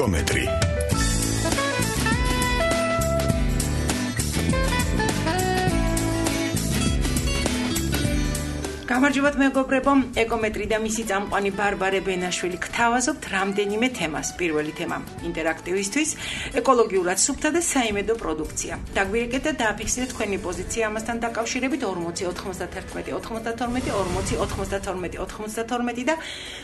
ეკომეტრი. გამარჯობათ მეგობრებო, ეკომეტრი და მისი წამყვანი ბარბარე ბენაშვილი გთავაზობთ რამდენიმე თემას. პირველი თემა ინტერაქტივისთვის, ეკოლოგიურად სუფთა და საიმედო პროდუქცია. დაგვირეკეთ და დააფიქსირეთ თქვენი პოზიცია ამასთან დაკავშირებით 40 91 92 40 92 92 და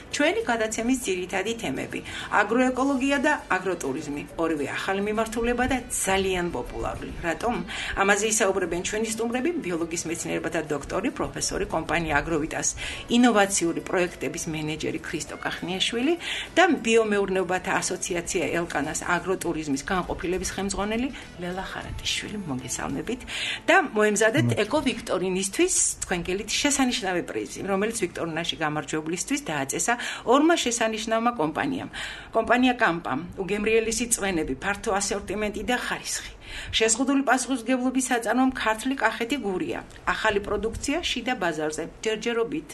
ჩვენი გადაცემის ძირითადი თემები. აგროეკოლოგია და აგროტურიზმი, ორივე ახალი მიმართულება და ძალიან პოპულარული. რატომ? ამაზე ისაუბრებენ ჩვენი სტუმრები, ბიოლოგიის მეცნიერებათა დოქტორი, პროფესორი, კომპანია აგროვიტას ინოვაციური პროექტების მენეჯერი ქრისტო კახნიაშვილი და ბიომეურნეობათა ასოციაცია ელკანას აგროტურიზმის განყოფილების ხელმძღვანელი ლელა ხარატიშვილი. მოგესალმებით და მოემზადეთ ეკოვიქტორინისთვის თქვენგელით შესანიშნავი პრიზი, რომელიც ვიქტორინაში გამარჯვებულისთვის დააწესა ორმა შესანიშნავმა კომპანიამ. კომპანია კამპამ, უგემრიელესი წვენები, ფართო ასორტიმენტი და ხარისხი. შეზღუდული პასუხისმგებლობის საწარმომ ქართლი კახეთი გურია. ახალი პროდუქცია შიდა ბაზარზე, ჯერჯერობით.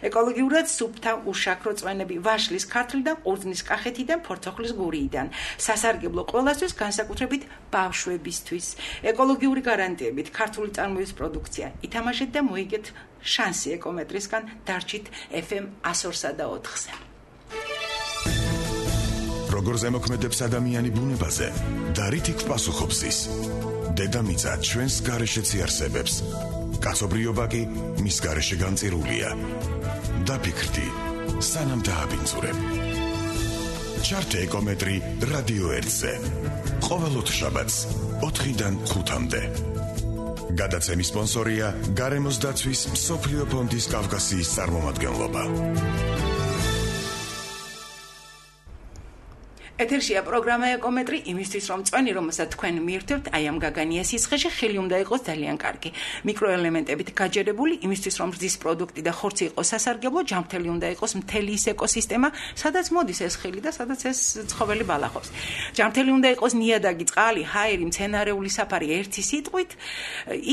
ეკოლოგიურად სუფთა უშაქრო წვენები ვაშლის ქართლიდან, ყურძნის კახეთიდან, ფორცოხლის გურიიდან. სასარგებლო ყველასთვის, განსაკუთრებით ბავშვებისთვის. ეკოლოგიური გარანტიებით ქართული წარმოების პროდუქცია. ითამაშეთ და მოიგეთ შანსი ეკომეტრისგან, დარჩით FM 102 და 4-ზე. როგორ ზემოქმედებს ადამიანი ბუნებაზე და რითი გვპასუხობს ის? დედამიწა ჩვენს გარეშეც იარსებებს. კაცობრიობა კი მის გარეშე განწირულია. დაფიქრდი, სანამ დააბინძურებ. ჩართე ეკომეტრი რადიო 1-ზე. ყოველ ოთხშაბათს 4-დან 5-მდე. გადაცემის სპონსორია გარემოს დაცვის მსოფლიო ფონდის კავკასიის წარმომადგენლობა. ეთერშია პროგრამა ეკომეტრი იმისთვის რომ წვენი რომელსაც თქვენ მიირთვებთ აი ამ გაგანია სიცხეში ხილი უნდა იყოს ძალიან კარგი მიკროელემენტებით გაჯერებული იმისთვის რომ რძის პროდუქტი და ხორცი იყოს სასარგებლო ჯანმრთელი უნდა იყოს მთელი ის ეკოსისტემა სადაც მოდის ეს ხილი და სადაც ეს ცხოველი ბალახობს ჯანმრთელი უნდა იყოს ნიადაგი წყალი ჰაერი მცენარეული საფარი ერთი სიტყვით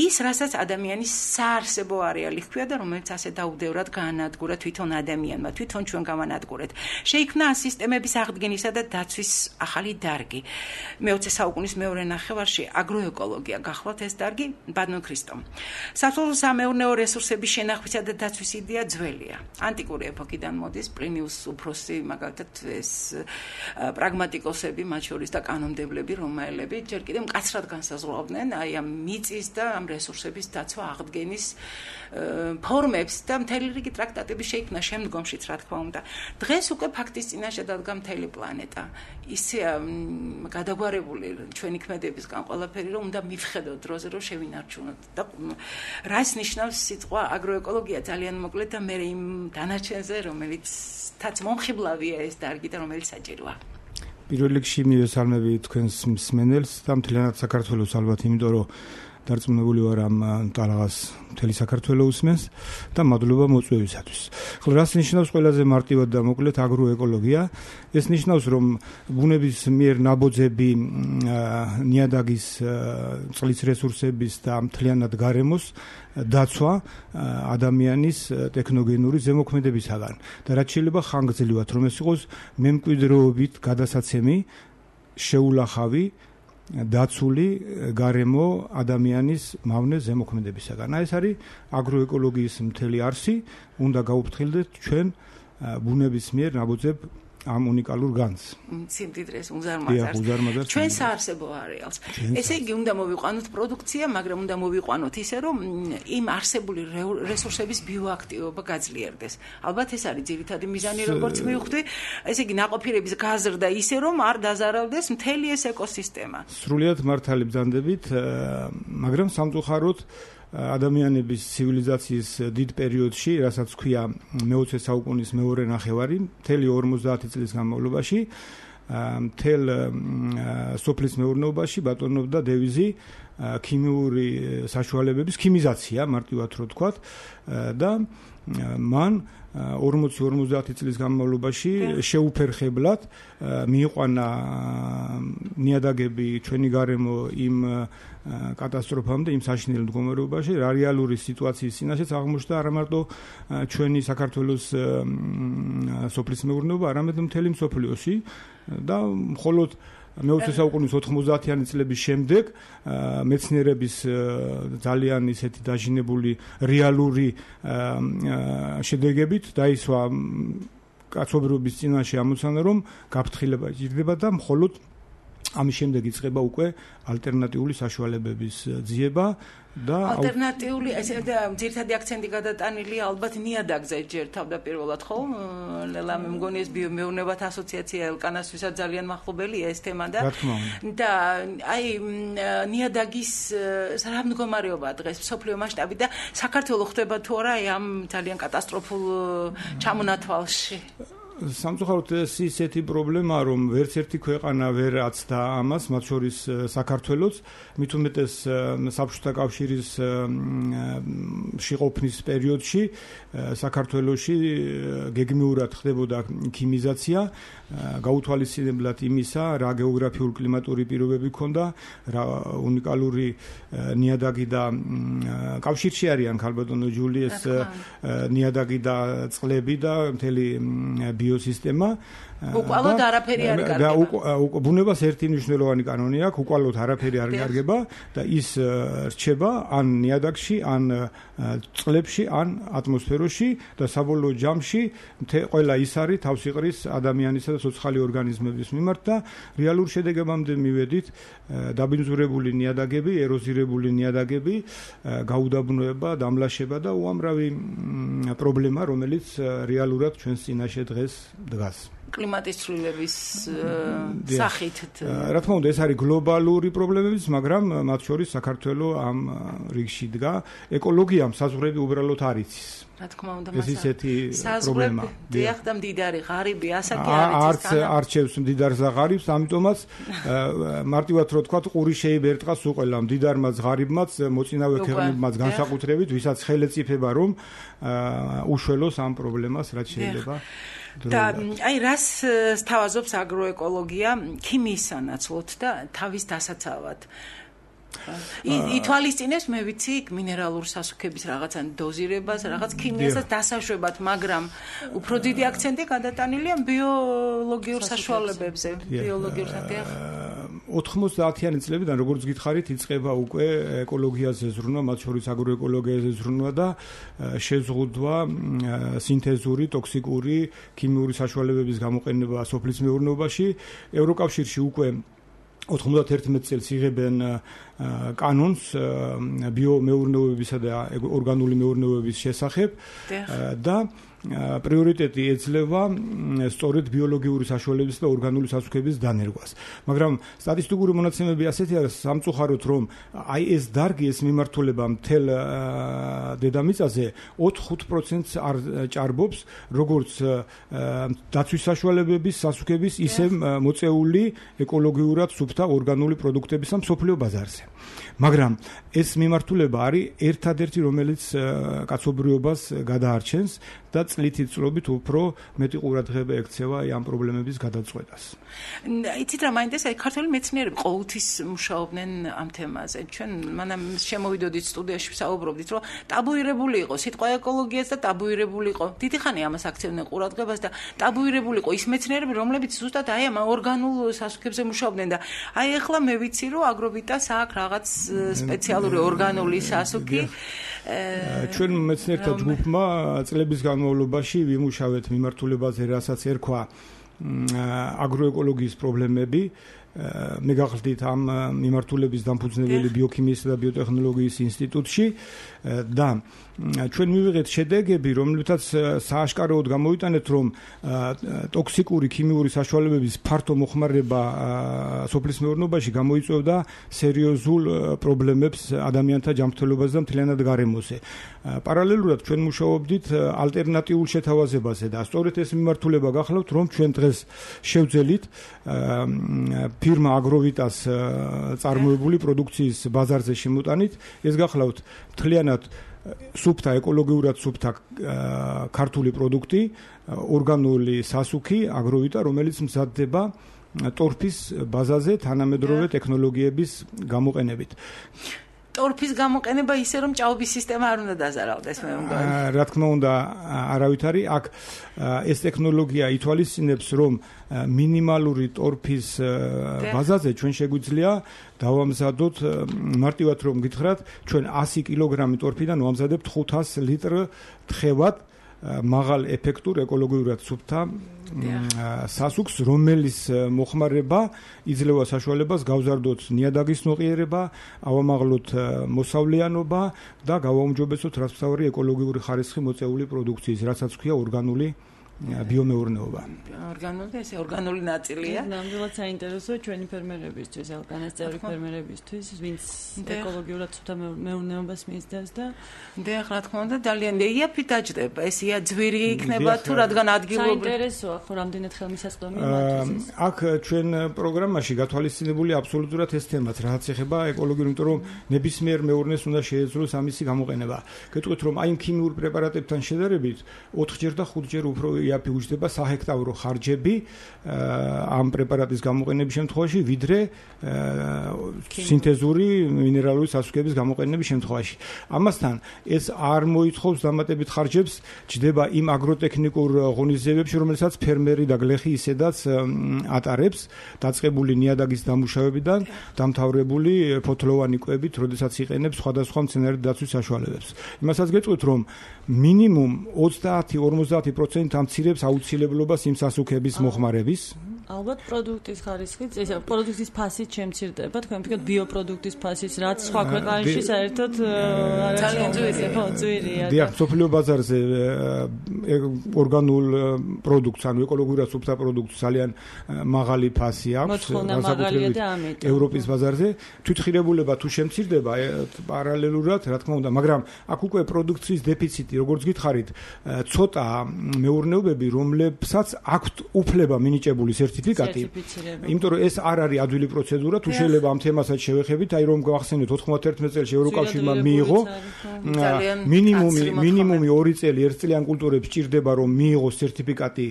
ის რასაც ადამიანის საარსებო არეალი ჰქვია და რომელიც ასე დაუდევრად გაანადგურა თვითონ ადამიანმა თვითონ ჩვენ გავანადგურეთ შეიქმნა ამ სისტემების აღდგენისა და ახალი დარგი. მე-20 საუკუნის მეორე ნახევარში აგროეკოლოგია გახლავთ ეს დარგი ბატონო ქრისტო. სასოფლო-სამეურნეო რესურსების შენახვისა და დაცვის იდეა ძველია. ანტიკური ეპოქიდან მოდის პლინიუს უფროსი, მაგალითად ეს პრაგმატიკოსები, მათ შორის და კანონმდებლები, რომაელები ჯერ კიდევ მკაცრად განსაზღვრავდნენ აი ამ მიწის და ამ რესურსების დაცვა აღდგენის ფორმებს და მთელი რიგი ტრაქტატები შეიქმნა შემდგომშიც, რა თქმა უნდა. დღეს უკვე ფაქტის წინაშე დადგა მთელი პლანეტა. ისე გადაგვარებული ჩვენი ქმედებისგან ყველაფერი რომ უნდა მივხედოთ დროზე რომ შევინარჩუნოთ და რას ნიშნავს სიტყვა აგროეკოლოგია ძალიან მოკლედ და მე იმ დანარჩენზე რომელიცაც მომხიბლავია ეს დარგი და რომელიც საჭიროა პირველ რიგში მივესალმები თქვენს მსმენელს და მთლიანად საქართველოს ალბათ იმიტომ რომ დარწმუნებული ვარ ამ ტალღას მთელი საქართველო უსმენს და მადლობა მოწვევისათვის. ხოლო რას ნიშნავს ყველაზე მარტივად და მოკლედ აგროეკოლოგია? ეს ნიშნავს რომ ბუნების მიერ ნაბოძები ნიადაგის წყლის რესურსების და მთლიანად გარემოს დაცვა ადამიანის ტექნოგენური ზემოქმედებისაგან და რაც შეიძლება ხანგრძლივად რომ ეს იყოს მემკვიდრეობით გადასაცემი შეულახავი დაცული გარემო ადამიანის მავნე ზემოქმედებისაგან. ეს არის აგროეკოლოგიის მთელი არსი, უნდა გაუფრთხილდეთ ჩვენ ბუნების მიერ ნაბოძებ ამ უნიკალურ განს. სიმდიდრეს უზარმაზარს. ჩვენ საარსებო არეალს. ესე იგი უნდა მოვიყვანოთ პროდუქცია, მაგრამ უნდა მოვიყვანოთ ისე რომ იმ არსებული რესურსების ბიოაქტივობა გაძლიერდეს. ალბათ ეს არის ძირითადი მიზანი, როგორც მივხვდი. ესე იგი ნაყოფიერების გაზრდა ისე რომ არ დაზარალდეს მთელი ეს ეკოსისტემა. სრულიად მართალი ბრძანდებით, მაგრამ სამწუხაროდ ადამიანების ცივილიზაციის დიდ პერიოდში, რასაც ქვია მე-20 საუკუნის მეორე ნახევარი, მთელი 50 წლის განმავლობაში, მთელ სოფლის მეურნეობაში ბატონობდა დევიზი ქიმიური საშუალებების ქიმიზაცია, მარტივად რო ვთქვათ, და მან 40-50 წლის განმავლობაში შეუფერხებლად მიიყვანა ნიადაგები ჩვენი გარემო იმ კატასტროფამდე, იმ საშინელ მდგომარეობაში, რეალური სიტუაციის წინაშეც აღმოჩნდა არა მარტო ჩვენი საქართველოს სოფლის მეურნეობა, არამედ მთელი მსოფლიოში და მხოლოდ მე-20 საუკუნის 90-იანი წლების შემდეგ მეცნიერების ძალიან ისეთი დაჟინებული რეალური შედეგებით დაისვა კაცობრიობის წინაშე ამოცანა, რომ გაფრთხილება ჭირდება და მხოლოდ ამის შემდეგ იწყება უკვე ალტერნატიული საშუალებების ძიება და ალტერნატიული ესე და ძირითადი აქცენტი გადატანილია ალბათ ნიადაგზე ჯერ თავდაპირველად ხო? ლელა მე მგონი ეს ბიომეურნეობათა ასოციაცია ელკანასვისაც ძალიან მახლობელია ეს თემა და აი ნიადაგის რა მდგომარეობაა დღეს მსოფლიო მასშტაბით და საქართველოს ხდება თუ არა ამ ძალიან კატასტროფულ ჩამონათვალში? სამწუხაროდ ეს ისეთი პრობლემაა, რომ ვერც ერთი ქვეყანა ვერ აცდა ამას, მათ შორის საქართველოც, მით უმეტეს საბჭოთა კავშირის შეყოფნის პერიოდში საქართველოში გეგმიურად ხდებოდა ქიმიზაცია, გაუთვალისწინებლად იმისა, რა გეოგრაფიულ კლიმატური პირობები ჰქონდა, რა უნიკალური ნიადაგი და კავშირში არიან ქალბატონო ჯულიეს ნიადაგი და წყლები და მთელი ბიოსისტემა უკვალოდ არაფერი არ გარგება. ბუნებას ერთი მნიშვნელოვანი კანონი აქვს, უკვალოდ არაფერი არ გარგება და ის რჩება ან ნიადაგში, ან წყლებში, ან ატმოსფეროში და საბოლოო ჯამში ყველა ის არის თავს იყრის ადამიანისა და ცოცხალი ორგანიზმების მიმართ და რეალურ შედეგებამდე მივედით დაბინძურებული ნიადაგები, ეროზირებული ნიადაგები, გაუდაბნოება, დამლაშება და უამრავი პრობლემა, რომელიც რეალურად ჩვენს წინაშე დღეს დგას. კლიმატის ცვლილების სახით. რა თქმა უნდა, ეს არის გლობალური პრობლემებიც, მაგრამ მათ შორის საქართველოს ამ რიგში დგა. ეკოლოგიამ საზღვრები უბრალოდ არ იცის. რა თქმა უნდა, ეს ისეთი პრობლემა. დიახ და მდიდარი ღარიბი ასაკი არის. არჩევს მდიდარს და ღარიბს, ამიტომაც მარტივად რო თქვა, ყური შეიბერტყას უყველა მდიდარმაც, ღარიბმაც, მოწინავე ქვეყნებმაც განსაკუთრებით, ვისაც ხელეწიფება რომ უშველოს ამ პრობლემას, რაც შეიძლება. და აი რას სთავაზობს აგროეკოლოგია ქიმიის სანაცვლოდ და თავის დასაცავად? ითვალისწინებს მე ვიცი მინერალურ სასუქების რაღაცა დოზირებას, რაღაც ქიმიასაც დასაშვებად, მაგრამ უფრო დიდი აქცენტი გადატანილია ბიოლოგიურ საშუალებებზე, ბიოლოგიურ საფეხ. 90-იანი წლებიდან, როგორც გითხარით, იწყება უკვე ეკოლოგიაზე ზრუნვა, მათ შორის აგროეკოლოგიაზე ზრუნვა და შეზღუდვა სინთეზური, ტოქსიკური, ქიმიური საშუალებების გამოყენება სოფლის მეურნეობაში. ევროკავშირში უკვე 91 წელს იღებენ კანონს ბიომეურნეობისა და ორგანული მეურნეობების შესახებ და პრიორიტეტი ეძლევა სწორედ ბიოლოგიური საშუალებების და ორგანული სასუქების დანერგვას. მაგრამ სტატისტიკური მონაცემები ასეთია სამწუხაროდ, რომ აი ეს დარგი, ეს მიმართულება მთელ დედამიწაზე 4-5%-ს არ ჭარბობს, როგორც დაცვის საშუალებების სასუქების, ისე მოწეული ეკოლოგიურად სუფთა ორგანული პროდუქტების ამ მსოფლიო ბაზარზე. მაგრამ ეს მიმართულება არის ერთადერთი, რომელიც კაცობრიობას გადაარჩენს და წლითი წლობით უფრო მეტი ყურადღება ექცევა ამ პრობლემების გადაწყვეტას. იცით რა მაინტერესებს, ქართველი მეცნიერები ყოველთვის მუშაობდნენ ამ თემაზე. ჩვენ მანამ შემოვიდოდით სტუდიაში ვსაუბრობდით, რომ ტაბუირებული იყო სიტყვა ეკოლოგიაც და ტაბუირებული იყო. დიდი ხანი ამას აქცევდნენ ყურადღებას და ტაბუირებული იყო ის მეცნიერები, რომლებიც ზუსტად აი ამ ორგანულ სასუქებზე მუშაობდნენ და აი ახლა მე ვიცი, რომ აგროვიტას აქვს რაღაც სპეციალური ორგანული სასუქი. ჩვენ მეცნიერთა ჯგუფმა წლების განმავლობაში ვიმუშავეთ მიმართულებაზე, რასაც ერქვა აგროეკოლოგიის პრობლემები. მე გახლდით ამ მიმართულების დამფუძნებელი ბიოქიმიისა და ბიოტექნოლოგიის ინსტიტუტში და ჩვენ მივიღეთ შედეგები, რომლითაც სააშკაროდ გამოვიტანეთ, რომ ტოქსიკური ქიმიური საშუალებების ფართო მოხმარება სოფლის მეურნეობაში გამოიწვევდა სერიოზულ პრობლემებს ადამიანთა ჯანმრთელობაზე და მთლიანად გარემოზე. პარალელურად ჩვენ მუშაობდით ალტერნატიულ შეთავაზებაზე და სწორედ ეს მიმართულება გახლავთ, რომ ჩვენ დღეს შევძელით ფირმა აგროვიტას წარმოებული პროდუქციის ბაზარზე შემოტანით. ეს გახლავთ მთლიანად სუფთა, ეკოლოგიურად სუფთა ქართული პროდუქტი, ორგანული სასუქი აგროვიტა, რომელიც მზადდება ტორფის ბაზაზე თანამედროვე ტექნოლოგიების გამოყენებით. ტორფის გამოყენება ისე რომ ჭაობის სისტემა არ უნდა დაზარავდეს მე მგონი. რა თქმა უნდა, არავითარი აქ ეს ტექნოლოგია ითვალისწინებს, რომ მინიმალური ტორფის ბაზაზე ჩვენ შეგვიძლია დავამზადოთ მარტივად რომ გითხრათ, ჩვენ 100 კილოგრამი ტორფიდან ვამზადებთ 500 ლიტრ თხევად მაღალ ეფექტურ ეკოლოგიურად სუფთა სასუქს, რომელის მოხმარება იძლევა საშუალებას გავზარდოთ ნიადაგის მოყიერება, ავამაღლოთ მოსავლიანობა და გავაუმჯობესოთ რასთავარი ეკოლოგიური ხარისხი მოწეული პროდუქციის, რასაც ქვია ორგანული ბიომეურნეობა. ორგანული ნაწილია. ნამდვილად საინტერესოა ჩვენი ფერმერებისთვის, ელკანეს წევრი ფერმერებისთვის, ვინც ეკოლოგიურად სუფთა მეურნეობას მისდევს და რა თქმა უნდა, ძალიან იაფი დაჯდება. ეს იაძვირი იქნება თუ რადგან ადგილობრივი. საინტერესოა ხო რამდენად ხელმისაწვდომი მათთვის. აქ ჩვენ პროგრამაში გათვალისწინებული აბსოლუტურად ეს თემაც, რაც ეხება ეკოლოგიურ, იმიტომ რომ ნებისმიერ მეურნეს უნდა შეეძლოს ამისი გამოყენება. გეტყვით რომ აი ქიმიურ პრეპარატებთან შედარებით 4ჯერ და 5ჯერ უფრო იაფი უჯდება საჰექტარო ხარჯები ამ პრეპარატის გამოყენების შემთხვევაში, ვიდრე სინთეზური მინერალური სასუქების გამოყენების შემთხვევაში. ამასთან ეს არ მოითხოვს დამატებით ხარჯებს, ჯდება იმ აგროტექნიკურ ღონისძიებებში, რომელსაც ფერმერი და გლეხი ისედაც ატარებს, დაწყებული ნიადაგის დამუშავებიდან დამთავრებული ფოთლოვანი კვებით, როდესაც იყენებს სხვადასხვა მცენარედ დაცვის საშუალებებს. იმასაც გეტყვით, რომ მინიმუმ 30-50% ამცირებს აუცილებლობას იმ სასუქების მოხმარების. ალბათ პროდუქტის ხარისხით, ეს პროდუქტის ფასით შემცირდება, თქვენ ვფიქრობთ ბიოპროდუქტის ფასის, რაც სხვა ქვეყანაში საერთოდ ძალიან ძვირია. დიახ, სოფლიო ბაზარზე ორგანულ პროდუქტს, ანუ ეკოლოგიურად სუფთა პროდუქტს ძალიან მაღალი ფასი აქვს, განსაკუთრებით ევროპის ბაზარზე. თვითღირებულება თუ შემცირდება პარალელურად, რა თქმა უნდა, მაგრამ აქ უკვე პროდუქციის დეფიციტი, როგორც გითხარით, ცოტა მეურნეობები, რომლებსაც აქვთ უფლება მინიჭებული სერტიფიკატი, იმიტომ რომ ეს არ არის ადვილი პროცედურა, თუ შეიძლება ამ თემასაც შევეხებით, აი რომ გავახსენოთ 91 წელს ევროკავშირმა მიიღო მინიმუმი 2 წელი ერთწლიან კულტურებს ჭირდება რომ მიიღოს სერტიფიკატი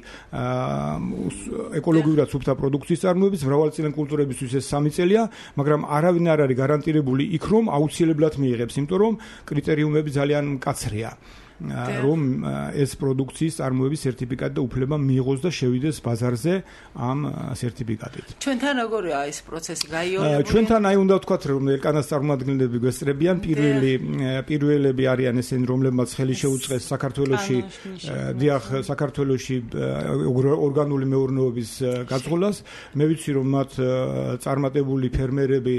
ეკოლოგიურად სუფთა პროდუქციის წარმოების, მრავალწლიან კულტურებისთვის ეს 3 წელია, მაგრამ არავინ არ არის გარანტირებული იქ რომ აუცილებლად მიიღებს, იმიტომ რომ კრიტერიუმები ძალიან მკაცრია. რომ ეს პროდუქციის წარმოების სერტიფიკატი და უფლება მიიღოს და შევიდეს ბაზარზე ამ სერტიფიკატით. ჩვენთან როგორია ეს პროცესი გაიოლებული? ჩვენთან აი უნდა ვთქვათ, რომ ელკანას წარმომადგენლები გვესწრებიან, პირველები არიან ესენი, რომლებმაც ხელი შეუწყეს საქართველოში, დიახ, საქართველოში ორგანული მეურნეობის გაწყვეტას. მე ვიცი, რომ მათ წარმატებული ფერმერები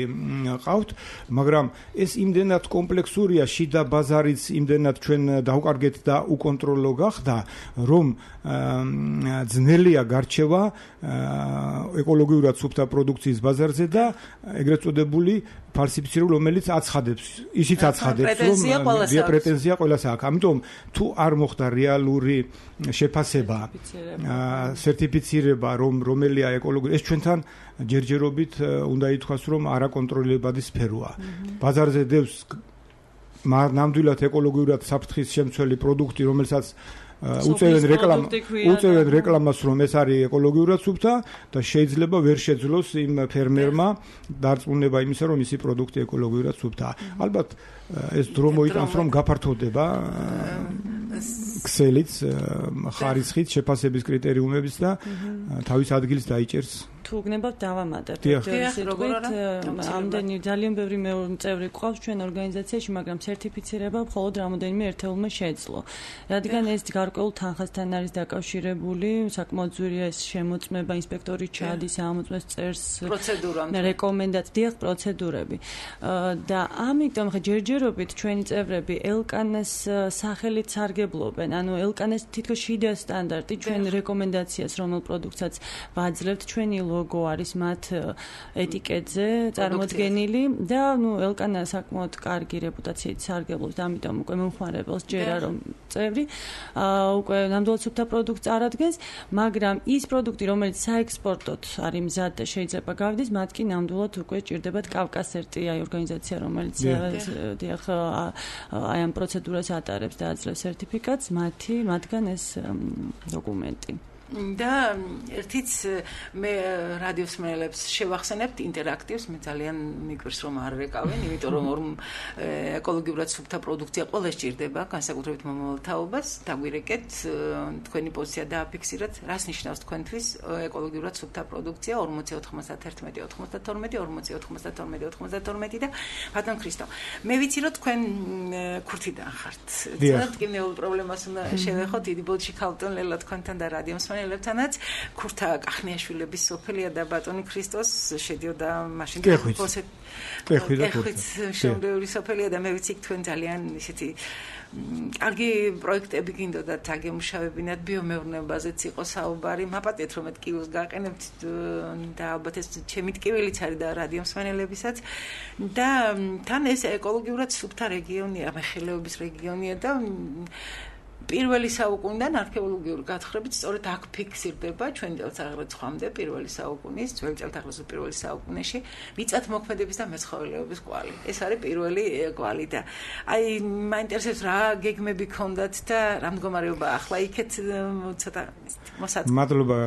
ყავთ, მაგრამ ეს იმდენად კომპლექსურია, შიდა ბაზარიც იმდენად ჩვენ კარგეთ და უკონტროლო გახდა, რომ ძნელია გარჩევა ეკოლოგიურად სუფთა პროდუქციის ბაზარზე და ეგრეთ წოდებული ფალსიფიცირებული, რომელიც აცხადებს, ისიც აცხადებს, რომ პრეტენზია ყველას აქვს. ამიტომ თუ არ მოხდა რეალური შეფასება, სერტიფიცირება, რომელია ეკოლოგიური, ეს ჩვენთან ჯერჯერობით უნდა ითქვას, რომ არაკონტროლებადი სფეროა. ბაზარზე დევს ნამდვილად ეკოლოგიურად საფრთხის შემცველი პროდუქტი, რომელსაც უწევენ რეკლამას, რომ ეს არის ეკოლოგიურად სუფთა და შეიძლება ვერ შეძლოს იმ ფერმერმა დარწმუნება იმისა, რომ ისი პროდუქტი ეკოლოგიურად სუფთაა. ალბათ ეს დრო მოიტანს, რომ გაფართოვდება ქსელიც, ხარისხით, შეფასების კრიტერიუმების და თავის ადგილს დაიჭერს. თუ გნებავთ დავამატებთ. ამდენი ძალიან ბევრი წევრი ყავს ჩვენ ორგანიზაციაში, მაგრამ სერტიფიცირება მხოლოდ რამოდენიმე ერთეულმა შეძლო. რადგან ეს გარკვეულ თანხასთან არის დაკავშირებული, საკმაოდ ძვირია ეს შემოწმება, ინსპექტორი ჩადის, ამოწმებს წერს რეკომენდაციას, პროცედურები. და ამიტომ ხა ჯერჯერობით ჩვენი წევრები ელკანეს სახელით სარგებლობენ, ანუ ელკანეს თითქოს შიდა სტანდარტი ჩვენ რეკომენდაციას, რომელ პროდუქტსაც ვაძლევთ, ჩვენი ლოგო არის მათ ეტიკეტზე წარმოდგენილი და ელკანა საკმაოდ კარგი რეპუტაციით სარგებლობს და ამიტომ უკვე მომხმარებელს ჯერა რომ წევრი უკვე ნამდვილად სუფთა პროდუქტს არადგენს, მაგრამ ის პროდუქტი, რომელიც საექსპორტოდ არის მზად და შეიძლება გავიდეს, მათ კი ნამდვილად უკვე ჭირდებათ კავკასერტი ორგანიზაცია, რომელიც აი ამ პროცედურას ატარებს და აძლევს სერტიფიკატს, მათგან ეს დოკუმენტი. და ერთიც მე რადიოს მენელებს შევახსენებთ ინტერაქტივს, მე ძალიან მიგვირს რომ არ რეკავენ, იმიტომ რომ ეკოლოგიურად სუფთა პროდუქცია ყველა სჭირდება, განსაკუთრებით მომავალ თაობას, დაგვირეკეთ, თქვენი პოზიცია დააფიქსირეთ, რას ნიშნავს თქვენთვის ეკოლოგიურად სუფთა პროდუქცია 40-91-92 და ბატონ ქრისტო. მე ვიცი რომ თქვენ ქურთიდან ხართ. ძალიან ტკივნეულ პრობლემას უნდა შევეხოთ, დიდი ბოდში ქალბატონ ლელა თქვენთან და რადიო მსმენელებთანაც. ქურთა კახნიაშვილების სოფელია და ბატონი ქრისტოს შედიოდა მაშინ შემდევრი სოფელია და მე ვიცი თქვენ ძალიან ისეთი კარგი პროექტები გინდოდათ აგემუშავებინათ ბიომეურნეობაზეც იყო საუბარი. მაპატიეთ რომ ტკივილს გაყენებთ და ალბათ ეს ჩემი ტკივილიც არის და რადიო მსმენელებისაც და თან ეს ეკოლოგიურად სუფთა რეგიონია, მეხილეობის რეგიონია და პირველი საუკუნიდან არქეოლოგიური გათხრებით სწორედ აქ ფიქსირდება ჩვენ წელთაღრიცხვამდე პირველი საუკუნის, ძველი წელთაღრიცხვის პირველი საუკუნეში მიწათმოქმედების და მეცხოველეობის კვალი. ეს არის პირველი კვალი და აი მაინტერესებს რა გეგმები გქონდათ და რა მდგომარეობა ახლა იქეთ ცოტა მოსაწყვეტ. მადლობა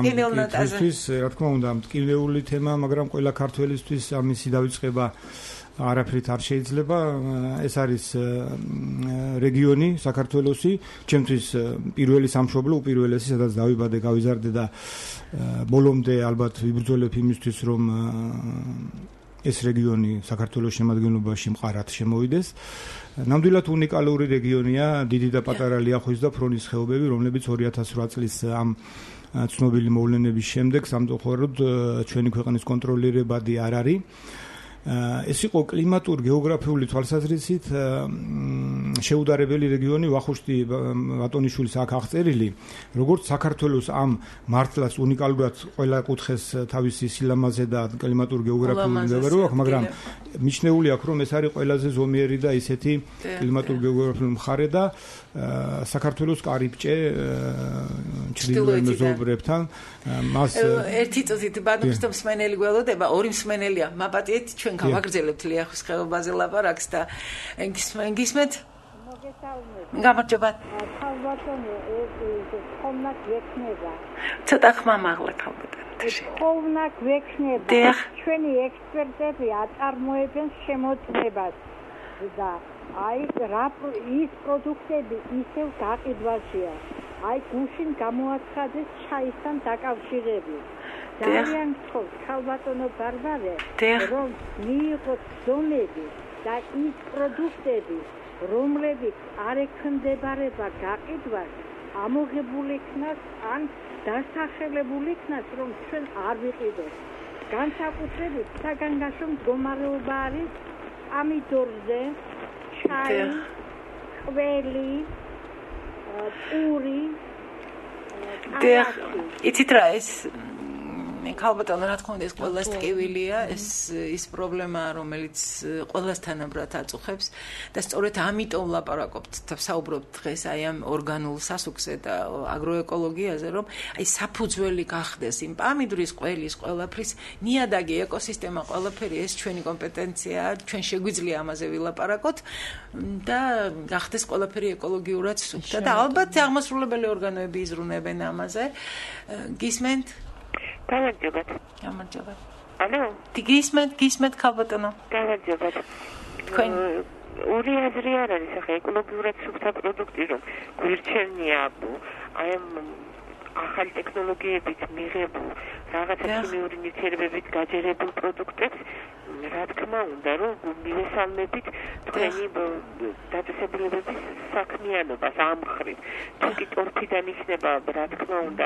ამ კითხვისთვის, რა თქმა უნდა, მტკივნეული თემა, მაგრამ ყველა ქართველისთვის ამისი დავიწყება არაფრით არ შეიძლება. ეს არის რეგიონი საქართველოსი, ჩემთვის პირველი სამშობლო, უპირველესი, სადაც დავიბადე, გავიზარდე და ბოლომდე ალბათ ვიბრძოლებ იმისთვის, რომ ეს რეგიონი საქართველოს შემადგენლობაში მყარად შემოვიდეს. ნამდვილად უნიკალური რეგიონია, დიდი და პატარა ლიახვის და ფრონის ხეობები, რომლებიც 2008 წლის ამ ცნობილი მოვლენების შემდეგ სამწუხაროდ ჩვენი ქვეყნის კონტროლირებადი არ არის. ეს იყო კლიმატურ გეოგრაფიული თვალსაზრისით შეუდარებელი რეგიონი, ვახუშტი ბატონიშვილის აქ აღწერილი, როგორც საქართველოს ამ მართლაც უნიკალურად ყველა კუთხეს თავისი სილამაზე და კლიმატურ გეოგრაფიული მდებარეობა აქვს, მაგრამ მიჩნეული აქვს, რომ ეს არის ყველაზე ზომიერი და ისეთი კლიმატურ გეოგრაფიული მხარე და საქართველოს კარიბჭე ჩრდილოეთ მეზობლებთან მას ერთი წუთით ბატონ ქრისტო მსმენელი გველოდება, ორი მსმენელია, მაპატიეთ ჩვენ გავაგრძელებთ ლიახვის ხეობაზე ლაპარაკს და გისმენთ? გამარჯობა. ქალბატონო, ეს ხომნა გვექნება. ცოტა ხმა მაღლა ქალბატონო. ხომნა გვექნება. ჩვენი ექსპერტები აწარმოებენ შემოწმებას და აი რა ის პროდუქტები ისევ გაყიდვაშია. აი გუშინ გამოაცხადეს ჩაისთან დაკავშირებით. ძალიან გთხოვთ ქალბატონო ბარბარე, რომ მიიღოთ ზომები და ის პროდუქტები, რომლებიც არ ექვემდებარება გაყიდვას, ამოღებული იქნას ან დასახელებული იქნას, რომ ჩვენ არ ვიყიდოთ. განსაკუთრებით საგანგაშო მდგომარეობა არის ამიდორზე, ჩაი, ყველი, პური. იცით რა ეს ქალბატონო, რა თქმა უნდა, ეს ყველას ტკივილია, ის პრობლემაა, რომელიც ყველას თანაბრად აწუხებს და სწორედ ამიტომ ლაპარაკობთ და საუბრობთ დღეს აი ამ ორგანულ სასუქზე და აგროეკოლოგიაზე, რომ აი საფუძველი გახდეს იმ პამიდრის, ყველის, ყველაფრის ნიადაგი, ეკოსისტემა, ყველაფერი ეს ჩვენი კომპეტენციაა, ჩვენ შეგვიძლია ამაზე ვილაპარაკოთ და გახდეს ყველაფერი ეკოლოგიურად სუფთა და ალბათ აღმასრულებელი ორგანოები იზრუნებენ ამაზე. გისმენთ? გამარჯობათ. გამარჯობათ. ალო? გისმენთ ქალბატონო? გამარჯობათ. თქვენ ორი აზრი არ არის ახლა ეკოლოგიურად სუფთა პროდუქტი რომ გვირჩენია აი ამ ახალი ტექნოლოგიებით მიღებულ რაღაცა ქიმიური ნივთიერებებით გაჯერებულ პროდუქტებს, რა თქმა უნდა, რომ მივესალმებით თქვენი დაწესებულებების საქმიანობას ამ მხრივ. თუკი ტორფიდან იქნება, რა თქმა უნდა,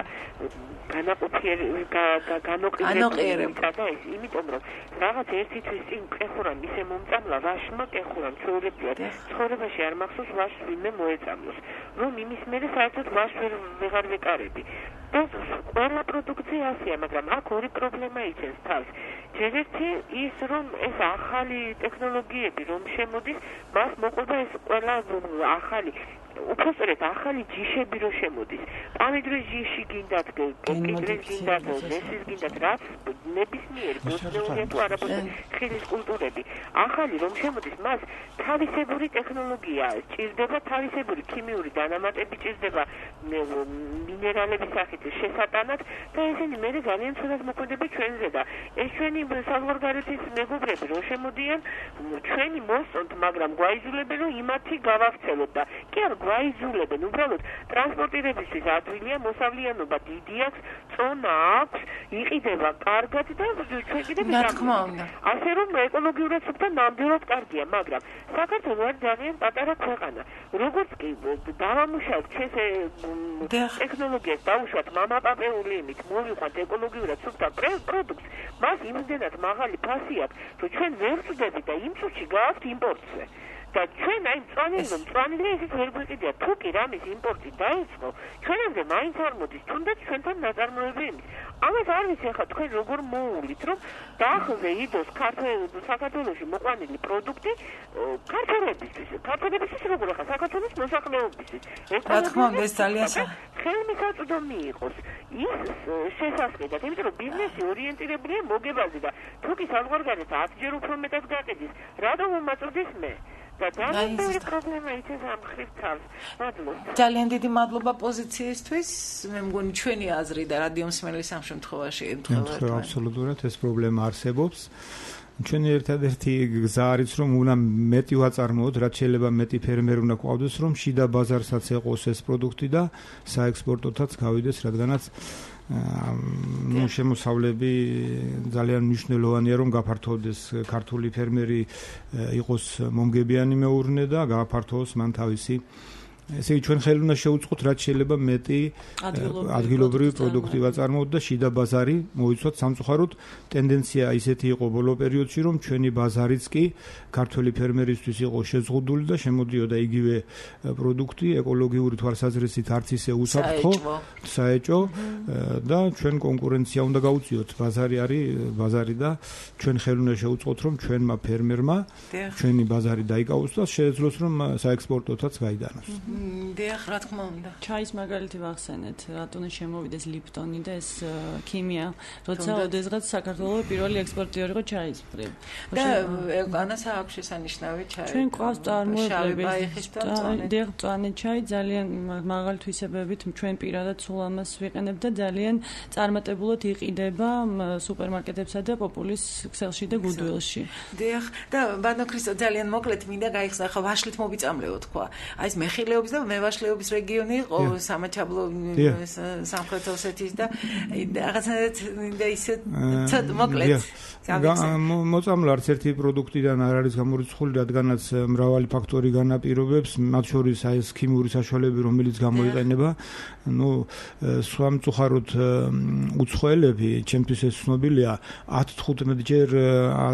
განოყიერება და ეს, იმიტომ რომ რაღაც ერთი თვის წინ ყეხურამ ისე მომწამლა, ვაშმა ყეხურამ ჩვეულებრივად ცხოვრებაში არ მახსოვს ვაშს ვინმე მოეწამლოს, რომ იმის მერე საერთოდ ვაშს ვეღარ ვეკარები. და ყველა პროდუქცია ასეა, მაგრამ აქ ორი პრობლემა იცენს თავს. ჯერ ერთი ის, რომ ეს ახალი ტექნოლოგიები რომ შემოდის, მას მოყვება ეს ყველა ახალი უბრალოდ ახალი ჯიშები რო შემოდის. პამიდრის ჯიში გინდათ, კენკიდრის გინდათ, ზესის გინდათ, რაც ნებისმიერი ბოსტნეულია თუ არაბოთი ხილის კულტურები. ახალი რომ შემოდის, მას თავისებური ტექნოლოგია ჭირდება, თავისებური ქიმიური დანამატები ჭირდება მინერალების სახით შესატანად და ესენი მე ძალიან ცუდად მოქმედება ჩვენზე და ეს ჩვენი საზღვარგარეთის მეგობრები რო შემოდიან, ჩვენი მოსწონთ, მაგრამ გვაიძულებენ რომ იმათი გავახცელოთ და კი არ გვაიძულებენ, უბრალოდ ტრანსპორტირებისთვის ადვილია, მოსავლიანობა დიდი აქვს, წონა აქვს, იყიდება კარგად და ჩვენ კიდევ ასე რომ ეკოლოგიურად სუფთა ნამდვილად კარგია, მაგრამ საქართველო არის ძალიან პატარა ქვეყანა. როგორც კი დავამუშავებთ ჩვენს ტექნოლოგიას, დავუშვათ მამაპაპეული იმით, მოვიყვანთ ეკოლოგიურად სუფთა პროდუქტს, მას იმდენად მაღალი ფასი აქვს, რომ ჩვენ ვერ ვწდებით და იმ წუთში გავაქვთ იმპორტზე. და ჩვენ აი მწვანილი ისიც ვერ გვიყიდია, თუ კი რამის იმპორტი დაიწყო, ჩვენამდე მაინც არ მოდის, თუნდაც ჩვენთან ნაწარმოები იმის. ამას არ ვიცი ახლა თქვენ როგორ მოუვლით, რომ დაახლოზე იდოს საქართველოში მოყვანილი პროდუქტი ქართველებისთვის როგორ ახლა საქართველოს მოსახლეობისთვის. რა თქმა უნდა, ეს ძალიან ხელმისაწვდომი იყოს ის შესაძლებლად, იმიტომ რომ ბიზნესი ორიენტირებულია მოგებაზე და თუ კი საზღვარგარეთ 10-ჯერ უფრო მეტად გაყიდის, რატომ მომაწვდის მე? ძალიან დიდი მადლობა პოზიციისთვის. მე მგონი ჩვენი აზრი და რადიო მსმენელის ამ შემთხვევაში აბსოლუტურად ეს პრობლემა არსებობს. ჩვენი ერთადერთი გზა არის რომ უნდა მეტი ვაწარმოოთ, რაც შეიძლება მეტი ფერმერი უნდა გვყავდეს, რომ შიდა ბაზარსაც ეყოს ეს პროდუქტი და საექსპორტოთაც გავიდეს, რადგანაც შემოსავლები ძალიან მნიშვნელოვანია რომ გაფართოვდეს ქართული ფერმერი იყოს მომგებიანი მეურნე და გააფართოვოს მან თავისი ესე იგი ჩვენ ხელი უნდა შევუწყოთ რაც შეიძლება მეტი ადგილობრივი პროდუქტი ვაწარმოოთ და შიდა ბაზარი მოიცვათ სამწუხაროდ ტენდენცია ისეთი იყო ბოლო პერიოდში რომ ჩვენი ბაზარიც კი ქართული ფერმერისთვის იყო შეზღუდული და შემოდიოდა იგივე პროდუქტი ეკოლოგიური თვალსაზრისით არც ისე უსაფრთხო საეჭო და ჩვენ კონკურენცია უნდა გავუწიოთ ბაზარი არის ბაზარი და ჩვენ ხელი უნდა შევუწყოთ რომ ჩვენმა ფერმერმა ჩვენი ბაზარი დაიკავოს და შეეძლოს რომ საექსპორტოთაც გაიდანოს დიახ, რა თქმა უნდა. ჩაის მაგალითი ვახსენეთ, რატომ შემოვიდეს ლიპტონი და ეს ქიმია, როცა ოდესღაც საქართველოს პირველი ექსპორტიორი იყო ჩაის მხრივ. და ანას აქვს შესანიშნავი ჩაი. ჩვენ ყავს წარმოებლები. დიახ, მწვანე ჩაი ძალიან მაღალი თვისებებით ჩვენ პირადად სულ ამას ვიყენებ და ძალიან წარმატებულად იყიდება სუპერმარკეტებსა და პოპულის ქსელში და გუდვილში. დიახ, და ბანო ქრისტო ძალიან მოკლედ მინდა გაიხსნა, ხა ვაშლით მოვიწამლეო თქვა. აი ეს მეხილეობის და მევაშლეობის რეგიონი იყო სამაჩაბლო სამხრეთ ოსეთის და რაღაცნაირად და ისე მოკლედ მოწამლა არც ერთი პროდუქტიდან არ არის გამორიცხული, რადგანაც მრავალი ფაქტორი განაპირობებს, მათ შორის აი ეს ქიმიური საშუალებები, რომელიც გამოიყენება. სამწუხაროდ უცხოელები, ჩემთვის ეს ცნობილია, 10-15 ჯერ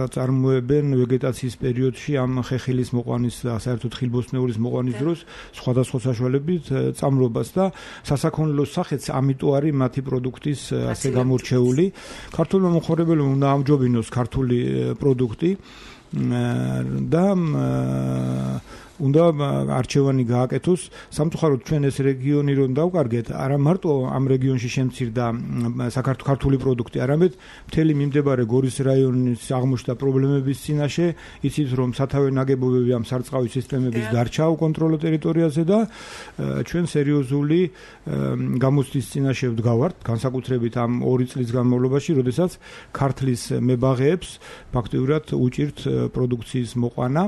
აწარმოებენ ვეგეტაციის პერიოდში ამ ხეხილის მოყვანის და საერთოდ ხილბოსტნეულის მოყვანის დროს სხვადასხვა საშუალებით წამლობას და სასაქონლოს სახეც ამიტომ არის მათი პროდუქტის ასე გამორჩეული. ქართულმა მომხმარებელმა უნდა ამჯობინოს ქართული პროდუქტი და უნდა არჩევანი გააკეთოს. სამწუხაროდ ჩვენ ეს რეგიონი რომ დავკარგეთ, არა მარტო ამ რეგიონში შემცირდა საქართველოს პროდუქტი, არამედ მთელი მიმდებარე გორის რაიონის აღმოჩნდა პრობლემების წინაშე, იცით რომ სათავე ნაგებობები ამ სარწყავი სისტემების დარჩა უკონტროლო ტერიტორიაზე და ჩვენ სერიოზული გამოცდის წინაშე ვდგავართ, განსაკუთრებით ამ 2 წლის განმავლობაში, როდესაც ქართლის მებაღეებს ფაქტიურად უჭირთ პროდუქციის მოყვანა.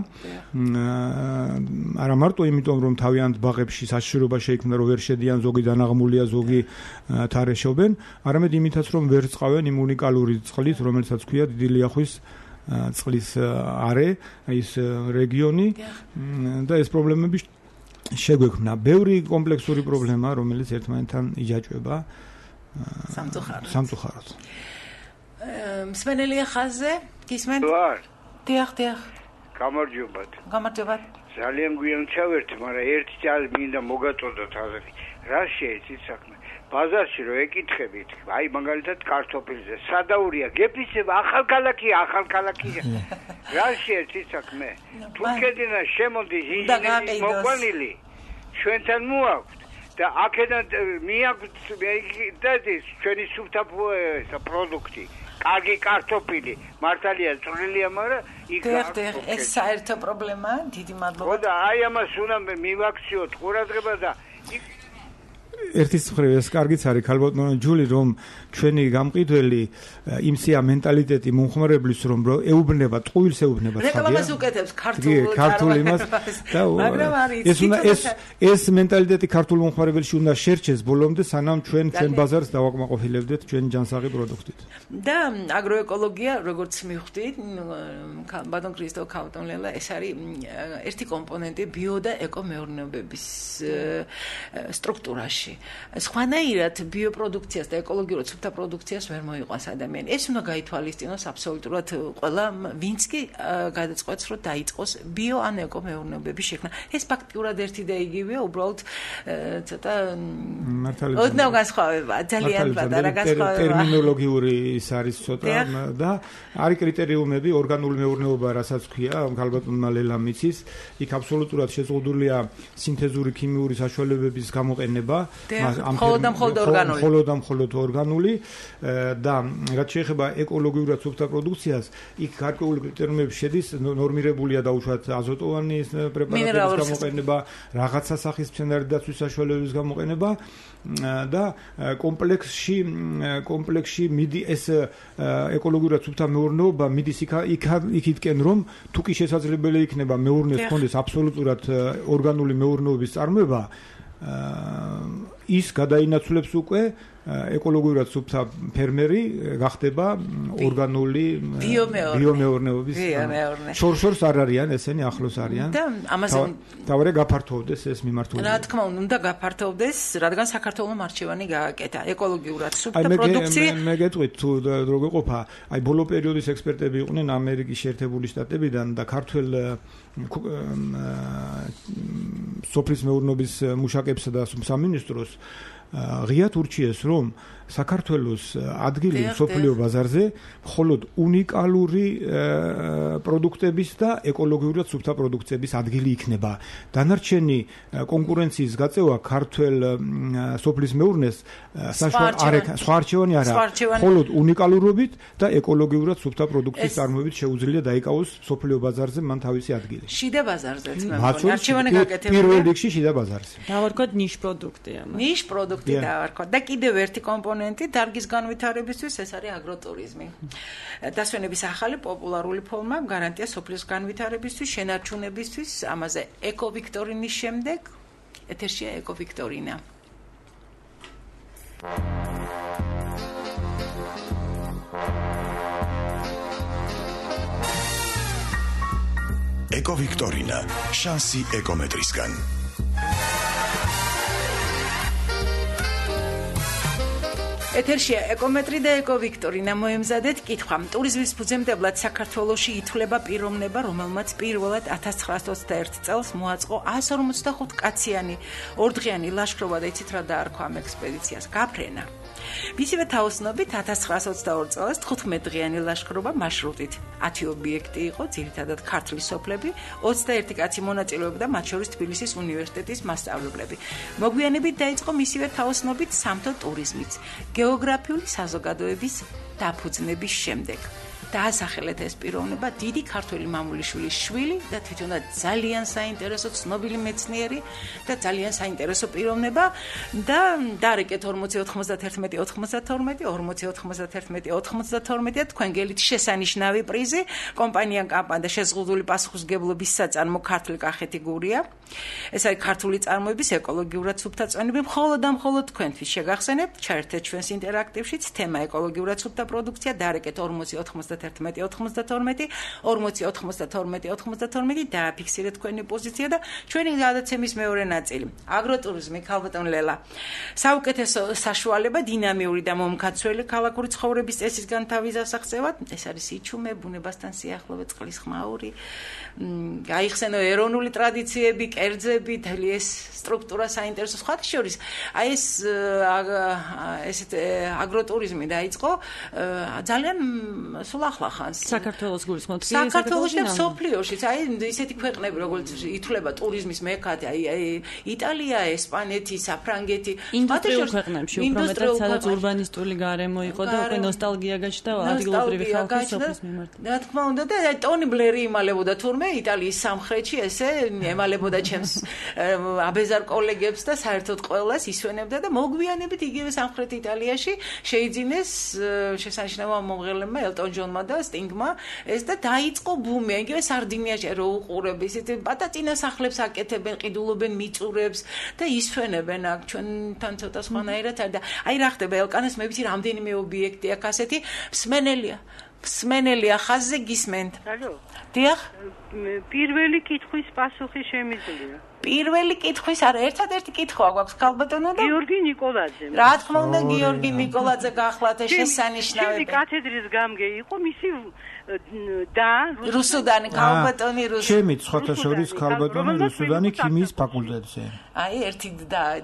არა მარტო იმიტომ რომ თავიანთ ბაღებში საშიშროება შეიქმნა რომ ვერ შედიან ზოგი დანაღმულია ზოგი თარეშობენ, არამედ იმითაც რომ ვერ წყავენ იმ უნიკალური წყლით რომელსაც ქვია დიდი ლიახვის წყლის არე ის რეგიონი და ეს პრობლემები შეგვექმნა. ბევრი კომპლექსური პრობლემა რომელიც ერთმანეთთან იჯაჭვება სამწუხაროდ. მსმენელი ხაზზე გისმენთ? დიახ. გამარჯობათ. ძალიან გვიან ჩავერთი, მაგრამ ერთი ჯერ მინდა მოგაწოდოთ აზრი. რა შეეცით საქმე? ბაზარში რო ეკითხებით, აი მაგალითად კარტოფილზე, სადაურია, გეფიცება ახალქალაქია. რა შეეცით საქმე? თურქეთიდან შემოდის ინჟინერი მოყვანილი. ჩვენთან მოაქვთ და აქედან მიაქვთ და ჩვენი სუფთა პროდუქტი. კარგი კარტოფილი, მართალია წვრილია, მაგრამ იქ ეს საერთო პრობლემაა, დიდი მადლობა. და აი ამას უნდა მივაქციოთ ყურადღება და ერთის მხრივ ეს კარგიც არის ქალბატონო ჯული რომ ჩვენი გამყიდველი იმსია მენტალიტეტი მომხმარებლის რომ ეუბნება ტყუილს ეუბნება ხალხი რეკლამას უკეთებს ქართულ იმას და ეს მენტალიტეტი ქართულ მომხმარებელში უნდა შერჩეს ბოლომდე სანამ ჩვენ ბაზარს დავაკმაყოფილებდეთ ჩვენი ჯანსაღი პროდუქტით და აგროეკოლოგია როგორც მივხვდით ბატონ ქრისტო ქავტონლელა ეს არის ერთი კომპონენტი ბიო და ეკომეურნეობების სტრუქტურაში სხვანაირად ბიოპროდუქციას და ეკოლოგიურად სუფთა პროდუქციას ვერ მოიყვანს ადამიანი. ეს უნდა გაითვალისწინოს აბსოლუტურად ყველა, ვინც კი გადაწყვეტს, რომ დაიწყოს ბიო ან ეკომეურნეობების შექმნა. ეს ფაქტიურად ერთი და იგივეა, უბრალოდ ცოტა ოდნავ განსხვავებაა, ძალიან პატარა განსხვავებაა. ტერმინოლოგიური ის არის ცოტა და არის კრიტერიუმები ორგანული მეურნეობა, რასაც ქვია, ქალბატონმა ლელამ იცის, იქ აბსოლუტურად შეზღუდულია სინთეზური ქიმიური საშუალებების გამოყენება მხოლოდ ორგანული და რაც შეეხება ეკოლოგიურად სუფთა პროდუქციას, იქ გარკვეული კრიტერიუმები შედის, ნორმირებულია დაუშვათ აზოტოვანი პრეპარატების გამოყენება, რაღაც სახის მცენარე დაცვის საშუალებების გამოყენება და კომპლექსში მიდი ეს ეკოლოგიურად სუფთა მეურნეობა მიდის იქითკენ რომ თუ კი შესაძლებელი იქნება მეურნეს კონდეს აბსოლუტურად ორგანული მეურნეობის წარმოება ის გადაინაცვლებს უკვე ეკოლოგიურად სუფთა ფერმერი გახდება ორგანული ბიომეურნეობის შორს არ არიან ესენი ახლოს არიან და ამაზე დავარე გაფართოვდეს ეს მიმართულება რა თქმა უნდა გაფართოვდეს რადგან საქართველოს არჩევანი გააკეთა ეკოლოგიურად სუფთა პროდუქცია მე გეტყვით თუ როგორ ყოფა აი ბოლო პერიოდის ექსპერტები იყვნენ ამერიკის შეერთებული შტატებიდან და ქართველ სოფლის მეურნეობის მუშაკებსა და სამინისტროს ღიად ურჩიეს რომ საქართველოს ადგილი სოფლიო ბაზარზე მხოლოდ უნიკალური პროდუქტების და ეკოლოგიურად სუფთა პროდუქციების ადგილი იქნება. დანარჩენი კონკურენციის გაწევა ქართველ სოფლის მეურნეს სხვა არჩევანი არა, მხოლოდ უნიკალურობით და ეკოლოგიურად სუფთა პროდუქციის წარმოებით შეუძლია დაიკავოს სოფლიო ბაზარზე მან თავისი ადგილი. შიდა ბაზარზეც მე მგონი არჩევანი გაკეთებულია. პირველ რიგში შიდა ბაზარზე. დავარქვათ ნიშ პროდუქტია. ნიშ პროდუქტი დავარქვათ და კიდევ ერთი კომპონენტი დარგის განვითარებისთვის ეს არის აგროტურიზმი. დასვენების ახალი პოპულარული ფორმა გარანტია სოფლის განვითარებისთვის, შენარჩუნებისთვის, ამაზე ეკოვიქტორინის შემდეგ ეთერშია ეკოვიქტორინა. ეკოვიქტორინა, შანსი ეკომეტრისგან. ეთერშია ეკომეტრი და ეკოვიქტორინა მოემზადეთ კითხვა. ტურიზმის ფუძემდებლად საქართველოში ითვლება პიროვნება, რომელმაც პირველად 1921 წელს მოაწყო 155 კაციანი ორდღიანი ლაშქრობა და იცით რა დაარქვა ამ ექსპედიციას? გაფრენა. მისივე თაოსნობით 1922 წელს 15 დღიანი ლაშქრობა მარშრუტით 10 ობიექტი იყო, ძირითადად ქართლის სოფლები, 21 კაცი მონაწილეობდა, მათ შორის თბილისის უნივერსიტეტის მასწავლებლები. მოგვიანებით დაიწყო მისივე თაოსნობით სამთო ტურიზმიც, გეოგრაფიული საზოგადოების დაფუძნების შემდეგ. დაასახელეთ ეს პიროვნება დიდი ქართველი მამულიშვილის შვილი და თვითონაც ძალიან საინტერესო ცნობილი მეცნიერი და ძალიან საინტერესო პიროვნება და დარეკეთ 40-91-92 თქვენ გელით შესანიშნავი პრიზი კომპანიამ კამპანია შეზღუდული პასუხისმგებლობის საწარმო ქართული კახეთი გურია. ეს არის ქართული წარმოების ეკოლოგიურად სუფთა წვენები მხოლოდ და მხოლოდ თქვენთვის შეგახსენებთ ჩაერთეთ ჩვენს ინტერაქტივშიც თემა ეკოლოგიურად სუფთა პროდუქცია დარეკეთ 40-91-92 დააფიქსირეთ თქვენი პოზიცია და ჩვენი გადაცემის მეორე ნაწილი აგროტურიზმი ქალბატონ ლელა საუკეთესო საშუალება დინამიური და მომქაცველი ქალაქური ცხოვრების წესის განთავის ასახსევად ეს არის იჩუმე ბუნებასთან სიახლოვე წყლის ხმაური გაიხსენო ეროვნული ტრადიციები კერძები თელი ეს სტრუქტურა საინტერესო სხვათა შორის აი ეს ესეთ აგროტურიზმი დაიწყო ძალიან სულ ახლა ხანს. საქართველოს გულისხმობთ. საქართველოში და სოფლიოშიც, აი ისეთი ქვეყნები, როგორც ითვლება ტურიზმის მექად, აი იტალია, ესპანეთი, საფრანგეთი, ინდუსტრიულ ქვეყნებში უფრო მეტად სადაც ურბანისტული გარემო იყო და უკვე ნოსტალგია გაჩნდა ადგილობრივი ხალხის სოფლის მიმართ. რა თქმა უნდა და ტონი ბლერი იმალებოდა თურმე იტალიის სამხრეთში ესე ემალებოდა ჩემს აბეზარ კოლეგებს და საერთოდ ყველას ისვენებდა და მოგვიანებით იგივე სამხრეთ იტალიაში შეიძინეს შესანიშნავ მომღერლებმა ელტონ ჯონმა და სტინგმა ეს და დაიწყო ბუმი იგივე სარდინიაში რო უყურებ ისეთ პატატინა სახლებს აკეთებენ ყიდულობენ მიწურებს და ისვენებენ აქ ჩვენთან ცოტა სხვანაირად და აი რა ხდება ელკანას მე ვიცი რამდენიმე ობიექტი აქ ასეთი მსმენელია ხაზზე გისმენთ ალო დიახ პირველი კითხვის პასუხი შემიძლია პირველი კითხვის არა ერთადერთი კითხვა გვაქვს ქალბატონო და გიორგი ნიკოლაძე რა თქმა უნდა გიორგი ნიკოლაძე გახლავთ შესანიშნავები კათედრის გამგე იყო მისი და რუსუდანი ქალბატონი რუსუდანი ჩემი ცხოთა შორის ქალბატონი რუსუდანი ქიმიის ფაკულტეტზე აი ერთი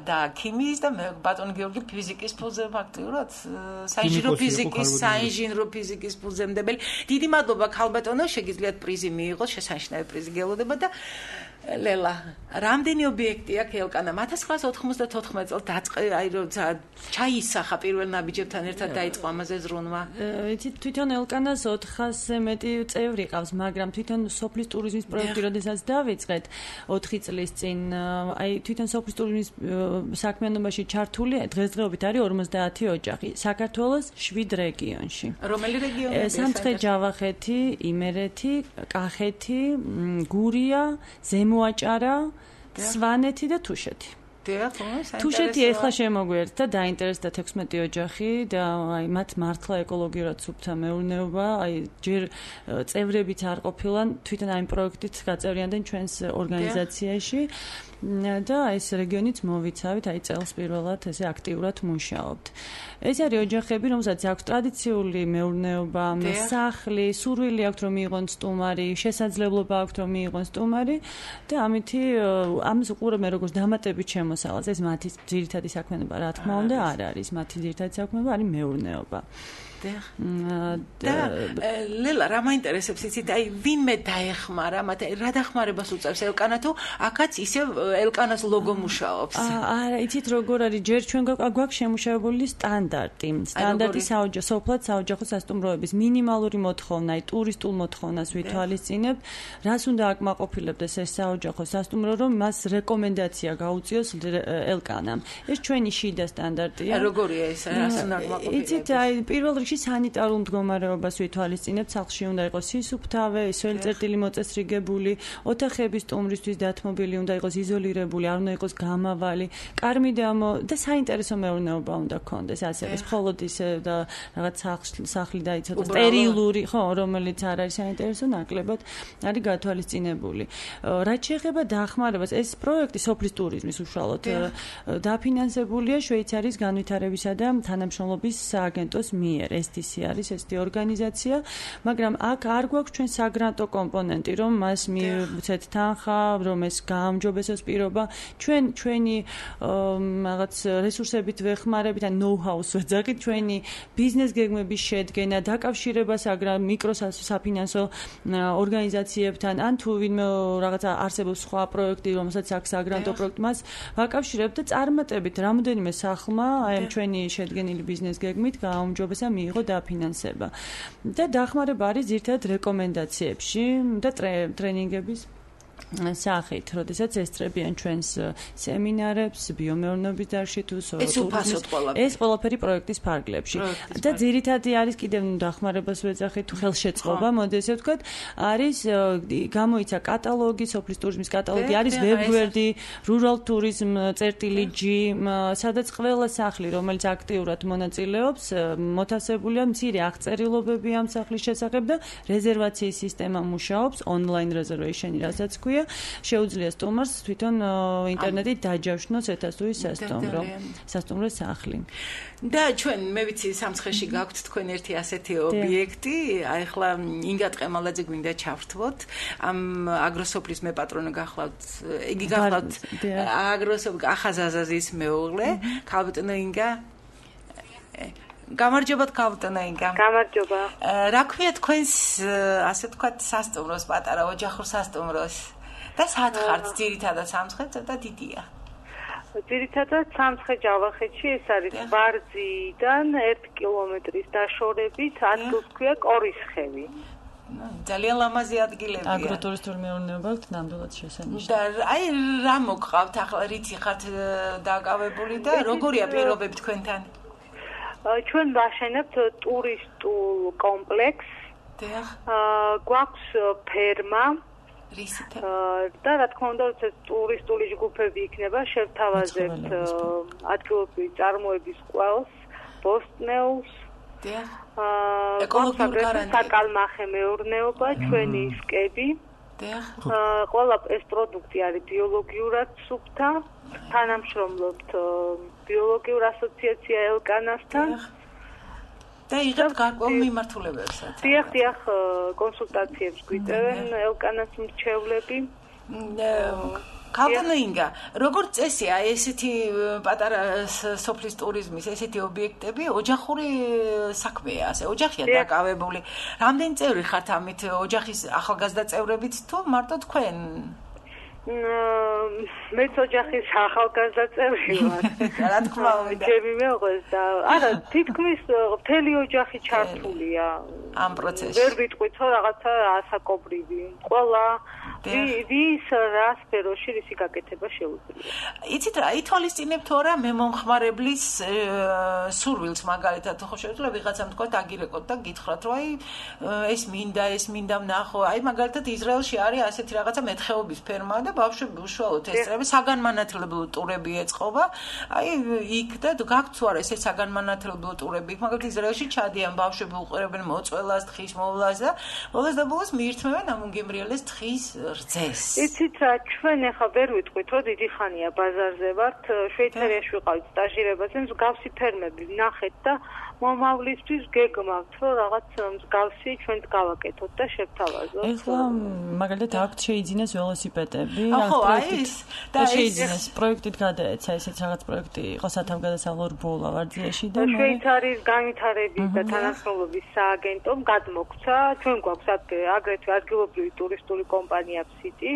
და ქიმიის და ბატონი გიორგი ფიზიკის ფუძემდებელი ფაქტიურად საინჟინრო ფიზიკის ფუძემდებელი დიდი მადლობა ქალბატონო შეგიძლიათ პრიზი მიიღოთ შესანიშნავი პრიზი გელოდება და ლელა რამდენი ობიექტი აქვს ელკანა 1994 წელს აი როცა ჩაისახა პირველ ნაბიჯებთან ერთად დაიწყო ამაზე ზრუნვა იცით თვითონ ელკანას 400-ზე მეტი წევრი ყავს მაგრამ თვითონ სოფლის ტურიზმის პროექტი როდესაც დავიწყეთ 4 წლის წინ აი თვითონ სოფლის ტურიზმის საქმიანობაში ჩართული დღესდღეობით არის 50 ოჯახი საქართველოს 7 რეგიონში რომელი რეგიონი სამცხე-ჯავახეთი, იმერეთი, კახეთი, გურია, ზემოაჭარა, სვანეთი და თუშეთი. თუშეთი ეხლა შემოგვიერთდა და დაინტერესდა 16 ოჯახი და აი მათ მართლა ეკოლოგიურად სუფთა მეურნეობა, აი ჯერ წევრებიც არ ყოფილან, თვითონ აი პროექტით გაწევრიანდნენ ჩვენს ორგანიზაციაში და ეს რეგიონიც მოვიცავით, აი წელს პირველად ესე აქტიურად მუშაობთ. ეს არის ოჯახები, რომელსაც აქვს ტრადიციული მეურნეობა, სახლი, სურვილი აქვს რომ მიიღონ სტუმარი, შესაძლებლობა აქვს რომ მიიღონ სტუმარი და ამითი ამას უყურებენ როგორც დამატებით შემოსავალს. ეს მათი ძირითადი საქმიანობა, რა თქმა უნდა, არ არის. მათი ძირითადი საქმიანობა არის მეურნეობა. ლელა რა მაინტერესებს იცით აი ვინმე დაეხმარა მათ რა დახმარებას უწევს ელკანა თუ აქაც ისე ელკანას ლოგო მუშაობს არა იცით როგორ არის ჯერ ჩვენ გვაქვს შემუშავებული სტანდარტი სოფლად საოჯახო სასტუმროების მინიმალური მოთხოვნა აი ტურისტულ მოთხოვნას ვითვალისწინებთ რას უნდა აკმაყოფილებდეს ეს საოჯახო სასტუმრო რომ მას რეკომენდაცია გაუწიოს ელკანამ ეს ჩვენი შიდა სტანდარტია როგორია ეს რას უნდა აკმაყოფილებდეს იცით აი პირველ რიგში სანიტარულ მდგომარეობას ვითვალისწინებთ, სახლში უნდა იყოს სისუფთავე, სველი წერტილი მოწესრიგებული, ოთახების სტუმრისთვის დათმობილი უნდა იყოს იზოლირებული, არ უნდა იყოს გამავალი, კარმიდამო და საინტერესო მეურნეობა უნდა გქონდეს, ასევე მხოლოდ ისე და რაღაც სახლი დაიცოთ, სტერილური, ხო, რომელიც არ არის საინტერესო, ნაკლებად არის გათვალისწინებული. რაც შეეხება დახმარებას, ეს პროექტი სოფლის ტურიზმის უშუალოდ დაფინანსებულია შვეიცარიის განვითარებისა და თანამშრომლობის სააგენტოს მიერ. STC არის ესეთი ორგანიზაცია, მაგრამ აქ არ გვაქვს ჩვენ საგრანტო კომპონენტი, რომ მას მივცეთ თანხა, რომ ეს გაამჯობესოს პირობა. ჩვენი რაღაც რესურსებით ვეხმარებით, ან ნოუ-ჰაუს ვეძახით, ჩვენი ბიზნეს გეგმების შედგენა, დაკავშირება მიკროსაფინანსო ორგანიზაციებთან, ან თუ ვინმე რაღაცა არსებობს სხვა პროექტი, რომელსაც აქვს საგრანტო პროექტი, მას ვაკავშირებთ და წარმატებით რამოდენიმე სახლმა აი ჩვენი შედგენილი ბიზნეს გეგმით გააუმჯობესა მიიღო დაფინანსება. და დახმარება არის ძირითადად რეკომენდაციებში და ტრენინგების სახით, როდესაც ესწრებიან ჩვენს სემინარებს, ბიომეურნეობის დარგში თუ ეს ყველაფერი პროექტის ფარგლებში. და ძირითადი არის კიდევ დახმარებას ვეძახით, თუ ხელშეწყობა, მოდი ესე ვთქვათ, არის გამოიცა კატალოგი, სოფლის ტურიზმის კატალოგი, არის ვებგვერდი, rural tourism წერტილი.g, სადაც ყველა სახლი, რომელიც აქტიურად მონაწილეობს, მოთავსებულია მცირე აღწერილობები ამ სახლის შესახებ და რეზერვაციის სისტემა მუშაობს, online reservation-ი, რასაც ქვია, შეუძლია სტუმარს თვითონ ინტერნეტით დაჯავშნოს ეთასუის სასტუმრო სახლი. და ჩვენ მე ვიცი სამცხეში გაქვთ თქვენ ერთი ასეთი ობიექტი, აი ახლა ინგა ტყემალაძე გვინდა ჩავრთვოთ, ამ აგროსოფლის მეპატრონე გახლავთ, იგი გახლავთ აგროსოფ ახაზაზაზის მეუღლე, ქალბატონო ინგა გამარჯობა ქალბატონო ინგა. გამარჯობა. რა ქვია თქვენს ასე ვთქვათ სასტუმროს პატარა ოჯახურ სასტუმროს? და საათ ხართ ძირითადად სამცხე ცოტა დიდია. ძირითადად სამცხე ჯავახეთში ეს არის ვარძიდან 1 კილომეტრის დაშორებით ადგილს ქვია კორისხევი. ძალიან ლამაზი ადგილებია. აგროტურისტული მეურნეობა აქვს ნამდვილად შესანიშნავი. და აი რა მოგყავთ ახლა რითი ხართ დაკავებული და როგორია პირობები თქვენთან? ჩვენ ვაშენებთ ტურისტულ კომპლექსს. დიახ. გვაქვს ფერმა. რისით? და რა თქმა უნდა, ეს ტურისტული ჯგუფები იქნება, შევთავაზებთ ადგილობრივი წარმოების ყველს, ბოსტნეულს. დიახ. ეკოლოგიური საკალმახე მეურნეობა, ჩვენი სკები. დიახ. ყველა ეს პროდუქტი არის ბიოლოგიურად სუფთა. თანამშრომლობთ ბიოლოგიურ ასოციაცია ელკანასთან. და იღებთ გარკვეულ მიმართულებებსაც. დიახ, კონსულტაციებს გვიტევენ ელკანას მრჩევლები. ქალბატონო ინგა, როგორც წესია ესეთი პატარა სოფლის ტურიზმის ესეთი ობიექტები ოჯახური საქმეა, ასე ოჯახია დაკავებული. რამდენი წევრი ხართ ამით ოჯახის ახალგაზრდა წევრებიც თუ მარტო თქვენ? მეც ოჯახის ახალგაზრდა წევრი ვარ. რა თქმა უნდა. ჩემი მეუღლეს და არა, თითქმის მთელი ოჯახი ჩართულია ამ პროცესში. ვერ ვიტყვით, რომ რაღაცა ასაკობრივი. ყველა ვის რა სფეროში რისი გაკეთება შეუძლია. იცით რა, ითვალისწინებთ თუ არა მე მომხმარებლის სურვილს მაგალითად ხო შეიძლება ვიღაცამ თქვა დაგირეკოთ და გითხრათ რომ აი ეს მინდა ვნახო. აი მაგალითად ისრაელში არის ასეთი რაღაცა მეთხეობის ფერმა და ბავშვები უშუალოდ ესწრებენ საგანმანათლებლო ტურები ეწყობა. აი იქ და გაქვთ თუ არა ესე საგანმანათლებლო ტურები. მაგალითად ისრაელში ჩადიან ბავშვები უყურებენ მოწველას, თხის მოვლას და ბოლოს და ბოლოს მიირთმევენ ამ უნგემრიელეს თხის რძეს. იცით რა, ჩვენ ახლა ვერ ვიტყვით, რომ დიდი ხანია ბაზარზე ვართ, შვეიცარიაში ვიყავით სტაჟირებაზე, მსგავსი ფერმები ვნახეთ და მომავლისთვის გეგმავთ, რომ რაღაც მსგავსი ჩვენც გავაკეთოთ და შევთავაზოთ. ეხლა მაგალითად აქვთ შეიძინეს ველოსიპედები, ხო, აი და შეიძინეს პროექტით გადაეცა ესეც რაღაც პროექტი იყო სათავგადასავლო რბოლა ვარძიაში და შვეიცარიის განვითარების და თანასწორობის სააგენტომ გადმოგცა, ჩვენ გვაქვს აგრეთვე ადგილობრივი ტურისტული კომპანია ფსიტი,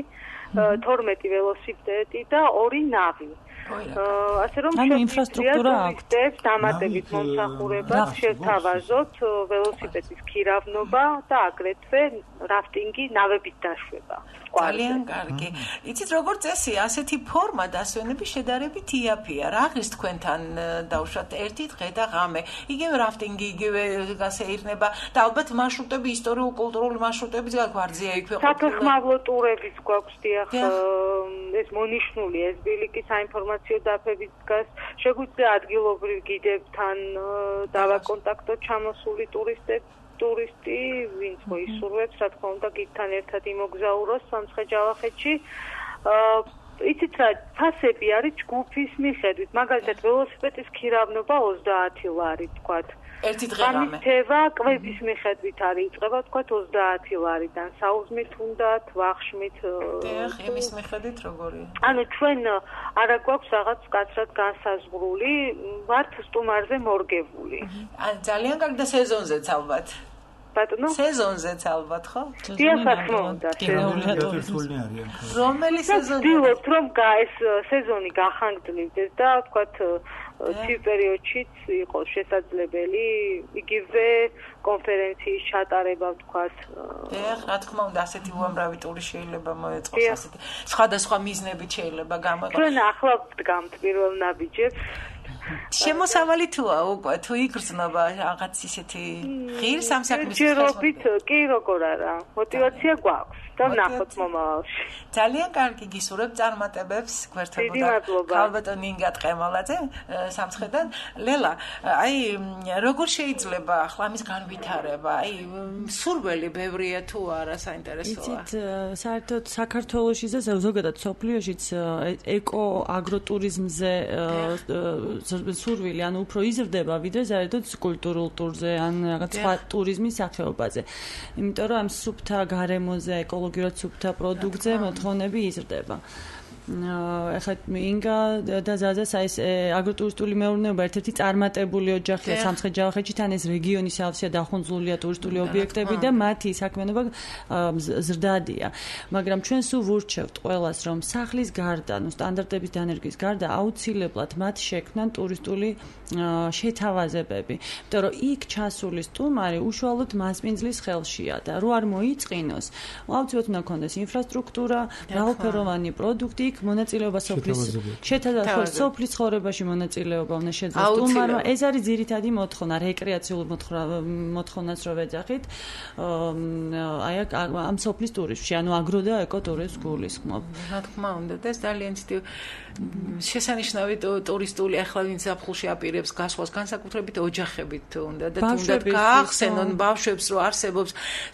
12 ველოსიპედი და 2 ნავი. ასე რომ ინფრასტრუქტურა აქვს დამატებით მომსახურებას შევთავაზოთ ველოსიპედის ქირავნობა და აგრეთვე რაფტინგი ნავებით დაშვება. ძალიან კარგი. იცით როგორც წესია, ასეთი ფორმა დასვენების შედარებით იაფია. რა ღირს თქვენთან დავუშვათ ერთი დღე და ღამე. იგივე რაფტინგი, იგივე გასეირნება და ალბათ მარშრუტები, ისტორიულ-კულტურული მარშრუტებიც გვარძია იქვე ყოფილი. საფეხმავლო ტურებიც გვაქვს, დიახ, ეს მონიშნული ეს ბილიკის საინფორმაციო დაფებით დგას. შეგვიძლია ადგილობრივ გიდებთან დავაკონტაქტოთ ჩამოსული ტურისტი, ვინც მოისურვებს, რა თქმა უნდა, გიდთან ერთად იმოგზაუროს სამცხე ჯავახეთში. იცით რა, ფასები არის ჯგუფის მიხედვით. მაგალითად, ველოსიპედის ქირავნობა 30 ლარი, თქვათ. ერთი დღე-ღამე. ამითევა კვების მიხედვით არის, იწყება თქვათ 30 ლარიდან, საუზმით უნდათ, ვახშმით. დიახ, იმის მიხედვით როგორია? ანუ ჩვენ არა გვაქვს რაღაც კაცრად განსაზღვრული, ვართ სტუმარზე მორგებული. ძალიან კარგი და სეზონზეც ალბათ. ბატონო? სეზონზეც ალბათ, ხო? დიახ, რა თქმა უნდა. რომელი სეზონი? ვცდილობთ, რომ ეს სეზონი გახანგრძლივდეს და თქვათ ცივ პერიოდშიც იყოს შესაძლებელი იგივე კონფერენციის ჩატარება, ვთქვათ. დიახ, რა თქმა უნდა, ასეთი უამრავი ტური შეიძლება მოეწყოს, ასეთი სხვადასხვა მიზნებით შეიძლება გამოიყენოს. ჩვენ ახლა ვდგამთ პირველ ნაბიჯებს. შემოსავალი თუა უკვე თუ იგრძნობა რაღაც ისეთი ღირს ამ საქმის ჯერობით კი როგორ არა მოტივაცია გვაქვს და ვნახოთ მომავალში. ძალიან კარგი გისურვებ წარმატებებს გვერდებოდა ქალბატონი ინგა ტყემალაძე სამცხედან. ლელა, აი როგორ შეიძლება ახლა ამის განვითარება? აი სურველი ბევრია თუ არა საინტერესოა? იცით, საერთოდ საქართველოში და ზოგადად სოფლიოშიც ეკო აგროტურიზმზე სურვილი, ანუ უფრო იზრდება, ვიდრე საერთოდ კულტურულ ტურზე, ან რაღაც სხვა ტურიზმის სახეობაზე. იმიტომ რომ ამ სუფთა გარემოზე, ეკოლოგიურად სუფთა პროდუქტზე მოთხოვნები იზრდება. ეხლა ინგა და ზაზას ეს აგროტურისტული მეურნეობა ერთ-ერთი წარმატებული ოჯახია სამცხე-ჯავახეთში, თან ეს რეგიონის ავსია დახუნძლულია ტურისტული ობიექტები და მათი საქმიანობა ზრდადია. მაგრამ ჩვენ სულ ვურჩევთ ყველას, რომ სახლის გარდა, სტანდარტების დანერგვის გარდა აუცილებლად მათ შექმნან ტურისტული შეთავაზებები. იმიტომ რომ იქ ჩასული სტუმარი უშუალოდ მასპინძლის ხელშია და რო არ მოიწყინოს, აუცილებლად უნდა ქონდეს ინფრასტრუქტურა, მრავალფეროვანი პროდუქტი, მონაწილეობა სოფლის ცხოვრებაში მონაწილეობა უნდა შეძლოს სტუმარმა. ეს არის ძირითადი მოთხოვნა, რეკრეაციულ მოთხოვნას რო ვეძახით, აი ამ სოფლის ტურიზმში, ანუ აგრო და ეკოტურიზმს გულისხმობ. რა თქმა უნდა, და ეს ძალიან შესანიშნავი ტურისტული ახლა ვინც ზაფხულში აპირებს გასვლას განსაკუთრებით ოჯახებით უნდა და თუნდაც გაახსენონ ბავშვებს რომ არსებობს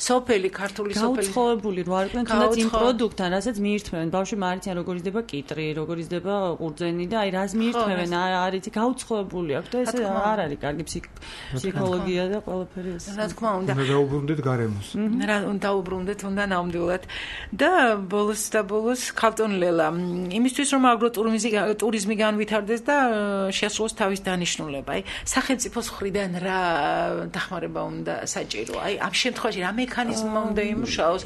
სოფელი, ქართული სოფელი გაუცხოებული რო არიან თუნდაც იმ პროდუქტთან, რასაც მიირთმევენ. ბავშვები მარიციან როგორ იზრდება კიტრი, როგორ იზრდება ყურძენი და აი რას მიირთმევენ, არის გაუცხოებული აქვს და ეს არ არის კარგი ფსიქოლოგია და ყველაფერი ეს. რა თქმა უნდა. უნდა დაუბრუნდეთ გარემოს. რა დაუბრუნდეთ უნდა ნამდვილად. და ბოლოს ქალტონ ლელა, იმისთვის რომ აგროტურიზმი განვითარდეს და შეასრულოს თავის დანიშნულება, აი სახელმწიფოს მხრიდან რა დახმარება უნდა საჭირო? აი ამ შემთხვევაში რა მექანიზმი უნდა იმუშაოს?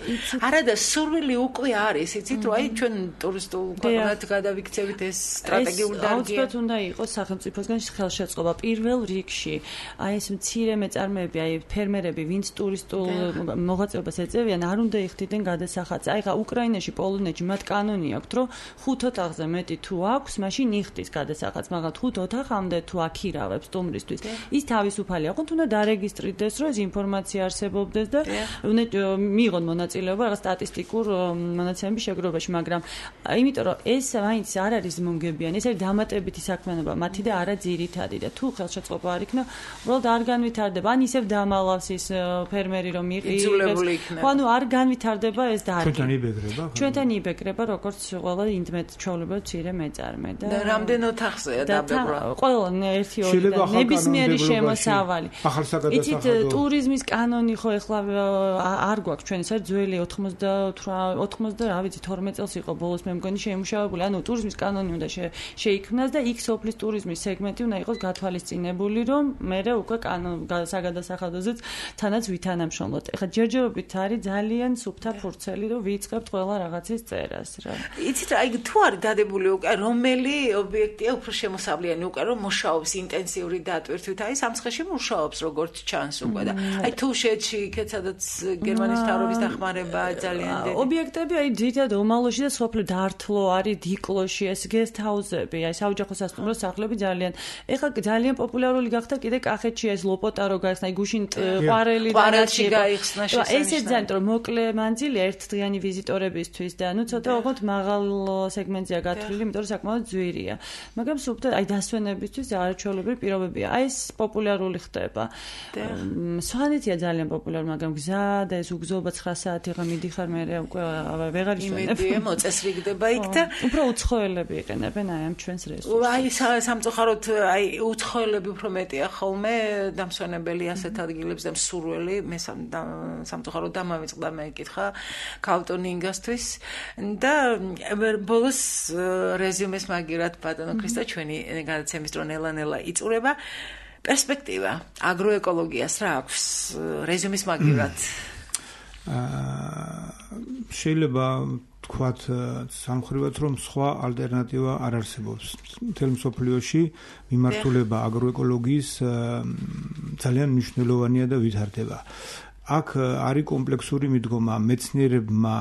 არა და სურვილი უკვე არის, იცით, რომ აი ჩვენ ტურისტულ ქვეყნად გადავიქცევით ეს სტრატეგიული დარგია. აუცილებლად უნდა იყოს სახელმწიფოსგან ხელშეწყობა პირველ რიგში. აი ეს მცირე მეწარმეები, აი ფერმერები, ვინც ტურისტულ მოღვაწეობას ეწევიან, არ უნდა იხდიდნენ გადასახადს. აი ხა უკრაინაში, პოლონეთში მათ კანონი აქვს, რომ 5 ოთახზე მეტი თუ აქვს, მაშინ იხდის გადასახადს, მაგრამ 5 ოთახამდე თუ აქირავებს სტუმრისთვის, ის თავისუფალია. ხო თუნდა დარეგისტრირდეს, რომ ეს ინფორმაცია არსებობდეს და მიიღონ მონაწილეობა რაღაც სტატისტიკურ მონაცემების შეგროვებაში, მაგრამ იმიტომ რომ ეს მაინც არ არის მომგებიანი, ეს არის დამატებითი საქმიანობა მათი და არა ძირითადი და თუ ხელშეწყობა არ იქნება, უბრალოდ არ განვითარდება. ან ისევ დამალავს ის ფერმერი რომ იძულებული იქნება. ხო ანუ არ განვითარდება ეს დარგი. ჩვენთან იბეკრება როგორც ყველა ინდმეთ ჩვეულებრივ მცირე მეწარმე და რამდენ ოთახზეა დაბებრა? ყველა ერთი ორი და ნებისმიერი შემოსავალი. იცით ტურიზმის კანონი ხო ეხლა არ გვაქვს ჩვენ ეს არის ძველი 90 რა ვიცი 12 წელს იყო ბოლოს მე მგონი შეიმუშავებული. ანუ ტურიზმის კანონი უნდა შეიქმნას და იქ სოფლის ტურიზმის სეგმენტი უნდა იყოს გათვალისწინებული, რომ მერე უკვე საგადასახადოზეც თანაც ვითანამშრომლოთ. ეხლა ჯერჯერობით არის ძალიან სუფთა ფურცელი, რომ ვიწყებთ ყველა რაღაცის წერას რა. იცით აი თუ არის დადებული უკვე რომელი ობიექტია უფრო შემოსავლიანი უკვე რომ მუშაობს ინტენსიური დატვირთვით, აი სამცხეში მუშაობს როგორც ჩანს უკვე და აი თუშეთში იქეთ სადაც გერმანიის მთავრობის დახმარება ძალიან დიდი ობიექტები აი ძირითადად ომალოში და სოფლ დართლო არის დიკლოში ეს გესტ ჰაუსები აი საოჯახო სასტუმრო სახლები ძალიან ეხლა ძალიან პოპულარული გახდა კიდე კახეთში ეს ლოპოტარო გაიხსნა აი გუშინ ყვარელი გაიხსნა ესე ძალიან რომ მოკლე მანძილი ერთდღიანი ვიზიტორებისთვის და ნუ ცოტა ოღონდ მაღალ სეგმენტზეა გათვლილი იმიტომ რომ საკმაოდ ძვირია მაგრამ სუფთა აი დასვენებისთვის არაჩვეულებრივი პირობებია აი ეს პოპულარული ხდება სვანეთია ძალიან პოპულარული მაგრამ გზა და ეს უგზოობა 9 საათი მიდიხარ მე უკვე ვეღარ ისვენებ იმედია მოწესრიგდება იქ და უფრო უცხოელები იყენებენ აი ამ ჩვენს რესურსს აი სამწუხაროდ აი უცხოელები უფრო მეტია ხოლმე დამსვენებელი ასეთ ადგილებს და მსურველი მე სამწუხაროდ დამავიწყდა მე ეკითხა ქალტონინგასთვის და ბოლოს რეზიუმეს მაგირად ბატონო ქრისტო ჩვენი გადაცემის დრო ნელა იწურება პერსპექტივა აგროეკოლოგიას რა აქვს რეზიუმის მაგირად შეიძლება თქვათ სამხრივად რომ სხვა ალტერნატივა არ არსებობს მთელ მსოფლიოში მიმართულება აგროეკოლოგიის ძალიან მნიშვნელოვანია და ვითარდება აქ არის კომპლექსური მიდგომა მეცნიერებმა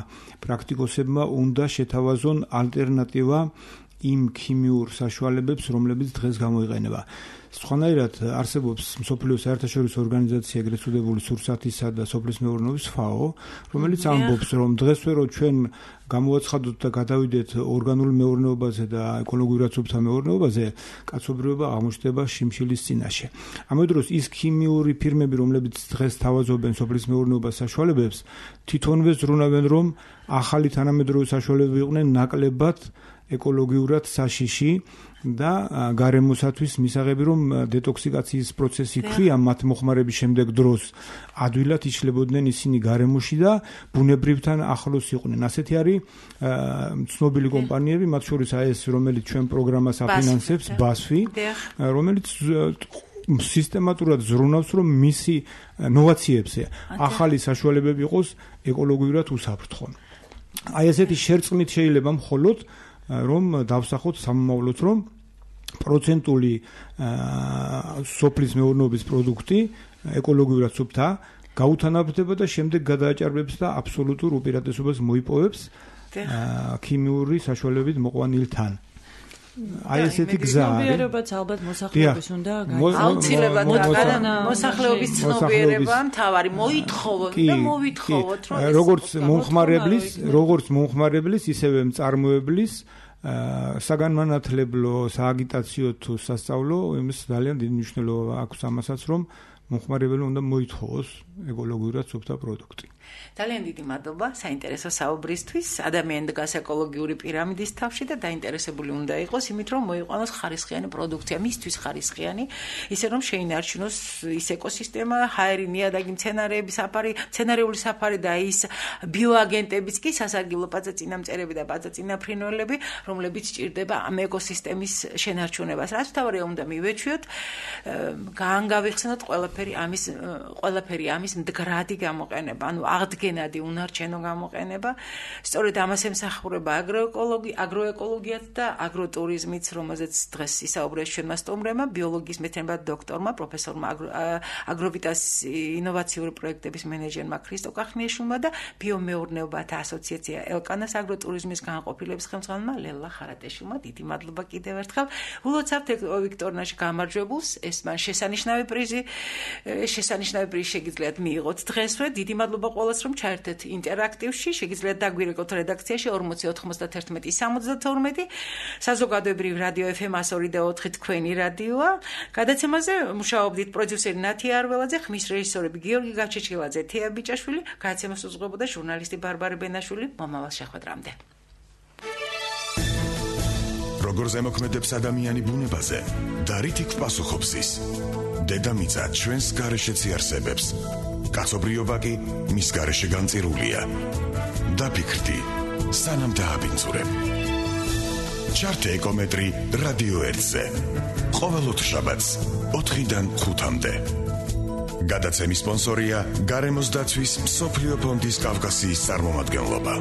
პრაქტიკოსებმა უნდა შეთავაზონ ალტერნატივა იმ ქიმიურ საშუალებებს რომლებიც დღეს გამოიყენება სხვანაირად არსებობს მსოფლიოს საერთაშორისო ორგანიზაცია ეგრეთ წოდებული სურსათისა და სოფლის მეურნეობის FAO რომელიც ამბობს რომ დღესვე რომ ჩვენ გამოვაცხადოთ და გადავიდეთ ორგანულ მეურნეობაზე და ეკოლოგიურად სუფთა მეურნეობაზე კაცობრიობა აღმოჩნდება შიმშილის წინაშე ამავე დროს ის ქიმიური ფირმები რომლებიც დღეს თავაზობენ სოფლის მეურნეობას საშუალებებს თვითონვე ზრუნავენ რომ ახალი თანამედროვე საშუალებები იყვნენ ნაკლებად ეკოლოგიურად საშიში და გარემოსათვის მისაღები რომ დეტოქსიკაციის პროცესი ქვია მათ მოხმარების შემდეგ დროს ადვილად იშლებოდნენ ისინი გარემოში და ბუნებრივთან ახლოს იყვნენ. ასეთი არის ცნობილი კომპანიები, მათ შორის ეს რომელიც ჩვენ პროგრამას აფინანსებს, BASF, რომელიც სისტემატურად ზრუნავს რომ მისი ნოვაციებზე ახალი საშუალებები იყოს ეკოლოგიურად უსაფრთხო. აი ესეთი შერწყმით შეიძლება მხოლოდ რომ დავსახოთ სამომავლოდ რომ პროცენტული სოფლის მეურნეობის პროდუქტი ეკოლოგიურად სუფთა გაუთანაბრდება და შემდეგ გადააჭარბებს და აბსოლუტურ უპირატესობას მოიპოვებს ქიმიური საშუალებით მოყვანილთან. აი ესეთი გზა არის. ცნობიერებაც ალბათ მოსახლეობის უნდა აუცილებლად მოსახლეობის ცნობიერება მთავარი მოითხოვოთ და მოვითხოვოთ რომ როგორც მომხმარებლის ისევე მწარმოებლის საგანმანათლებლო, სააგიტაციო თუ სასწავლო იმის ძალიან დიდი მნიშვნელობა აქვს ამასაც რომ მომხმარებელი უნდა მოითხოვოს ეკოლოგიურად სუფთა პროდუქტი. ძალიან დიდი მადლობა საინტერესო საუბრისთვის. ადამიანი დგას ეკოლოგიური პირამიდის თავში და დაინტერესებული უნდა იყოს იმით, რომ მოიყვანოს ხარისხიანი პროდუქცია, მისთვის ხარისხიანი, ისე რომ შეინარჩუნოს ის ეკოსისტემა, ჰაერი, ნიადაგი, მცენარეული საფარი და ის ბიოაგენტებიც კი სასარგებლო პაწაწინამწერები და პაწაწინაფრინველები, რომლებიც ჭირდება ამ ეკოსისტემის შენარჩუნებას. რაც თავარია უნდა მივეჩვიოთ, გაანგავიხსნოთ ყველაფერი ამის მდგრადი გამოყენება, ანუ აღდგენადი უნარჩენო გამოყენება. სწორედ ამას ემსახურება აგროეკოლოგიაც და აგროტურიზმიც, რომელზეც დღეს ისაუბრეს ჩვენმა სტუმრებმა, ბიოლოგიის მეცნიერებათა დოქტორმა, პროფესორმა აგროვიტას ინოვაციური პროექტების მენეჯერმა ქრისტო კახნიაშვილმა და ბიომეურნეობათა ასოციაცია ელკანას აგროტურიზმის განყოფილების ხელმძღვანელმა ლელა ხარატეშვილმა. დიდი მადლობა კიდევ ერთხელ. ულოცავთ ვიქტორნაში გამარჯვებულს, ეს მან შესანიშნავი პრიზი შეგიძლიათ მიიღოთ დღესვე. დიდი მადლობა ყველას რომ ჩაერთეთ ინტერაქტივში. შეგიძლიათ დაგვირეკოთ რედაქციაში 4091-72. საზოგადოებრივ რადიო FM 102.4 თქვენი რადიოა. გადაცემაზე მუშაობდით პროდიუსერი ნათია არველაძე, ხმის რეჟისორები გიორგი გაჩეჩილაძე, თეა ბიჭაშვილი, გადაცემას უძღვებოდა ჟურნალისტი ბარბარე ბენაშვილი. მომავალ შეხვედრამდე. როგორ ზემოქმედებს ადამიანი ბუნებაზე და რითი პასუხობს ის? დედამიწა ჩვენს გარეშეც იარსებებს. კაცობრიობა კი მის გარეშე განწირულია. დაფიქრდი, სანამ დააბინძურებ. ჩართე ეკომეტრი რადიო 1-ზე. ყოველ ოთხშაბათს 4-დან 5-მდე. გადაცემის სპონსორია გარემოს დაცვის მსოფლიო ფონდის კავკასიის წარმომადგენლობა.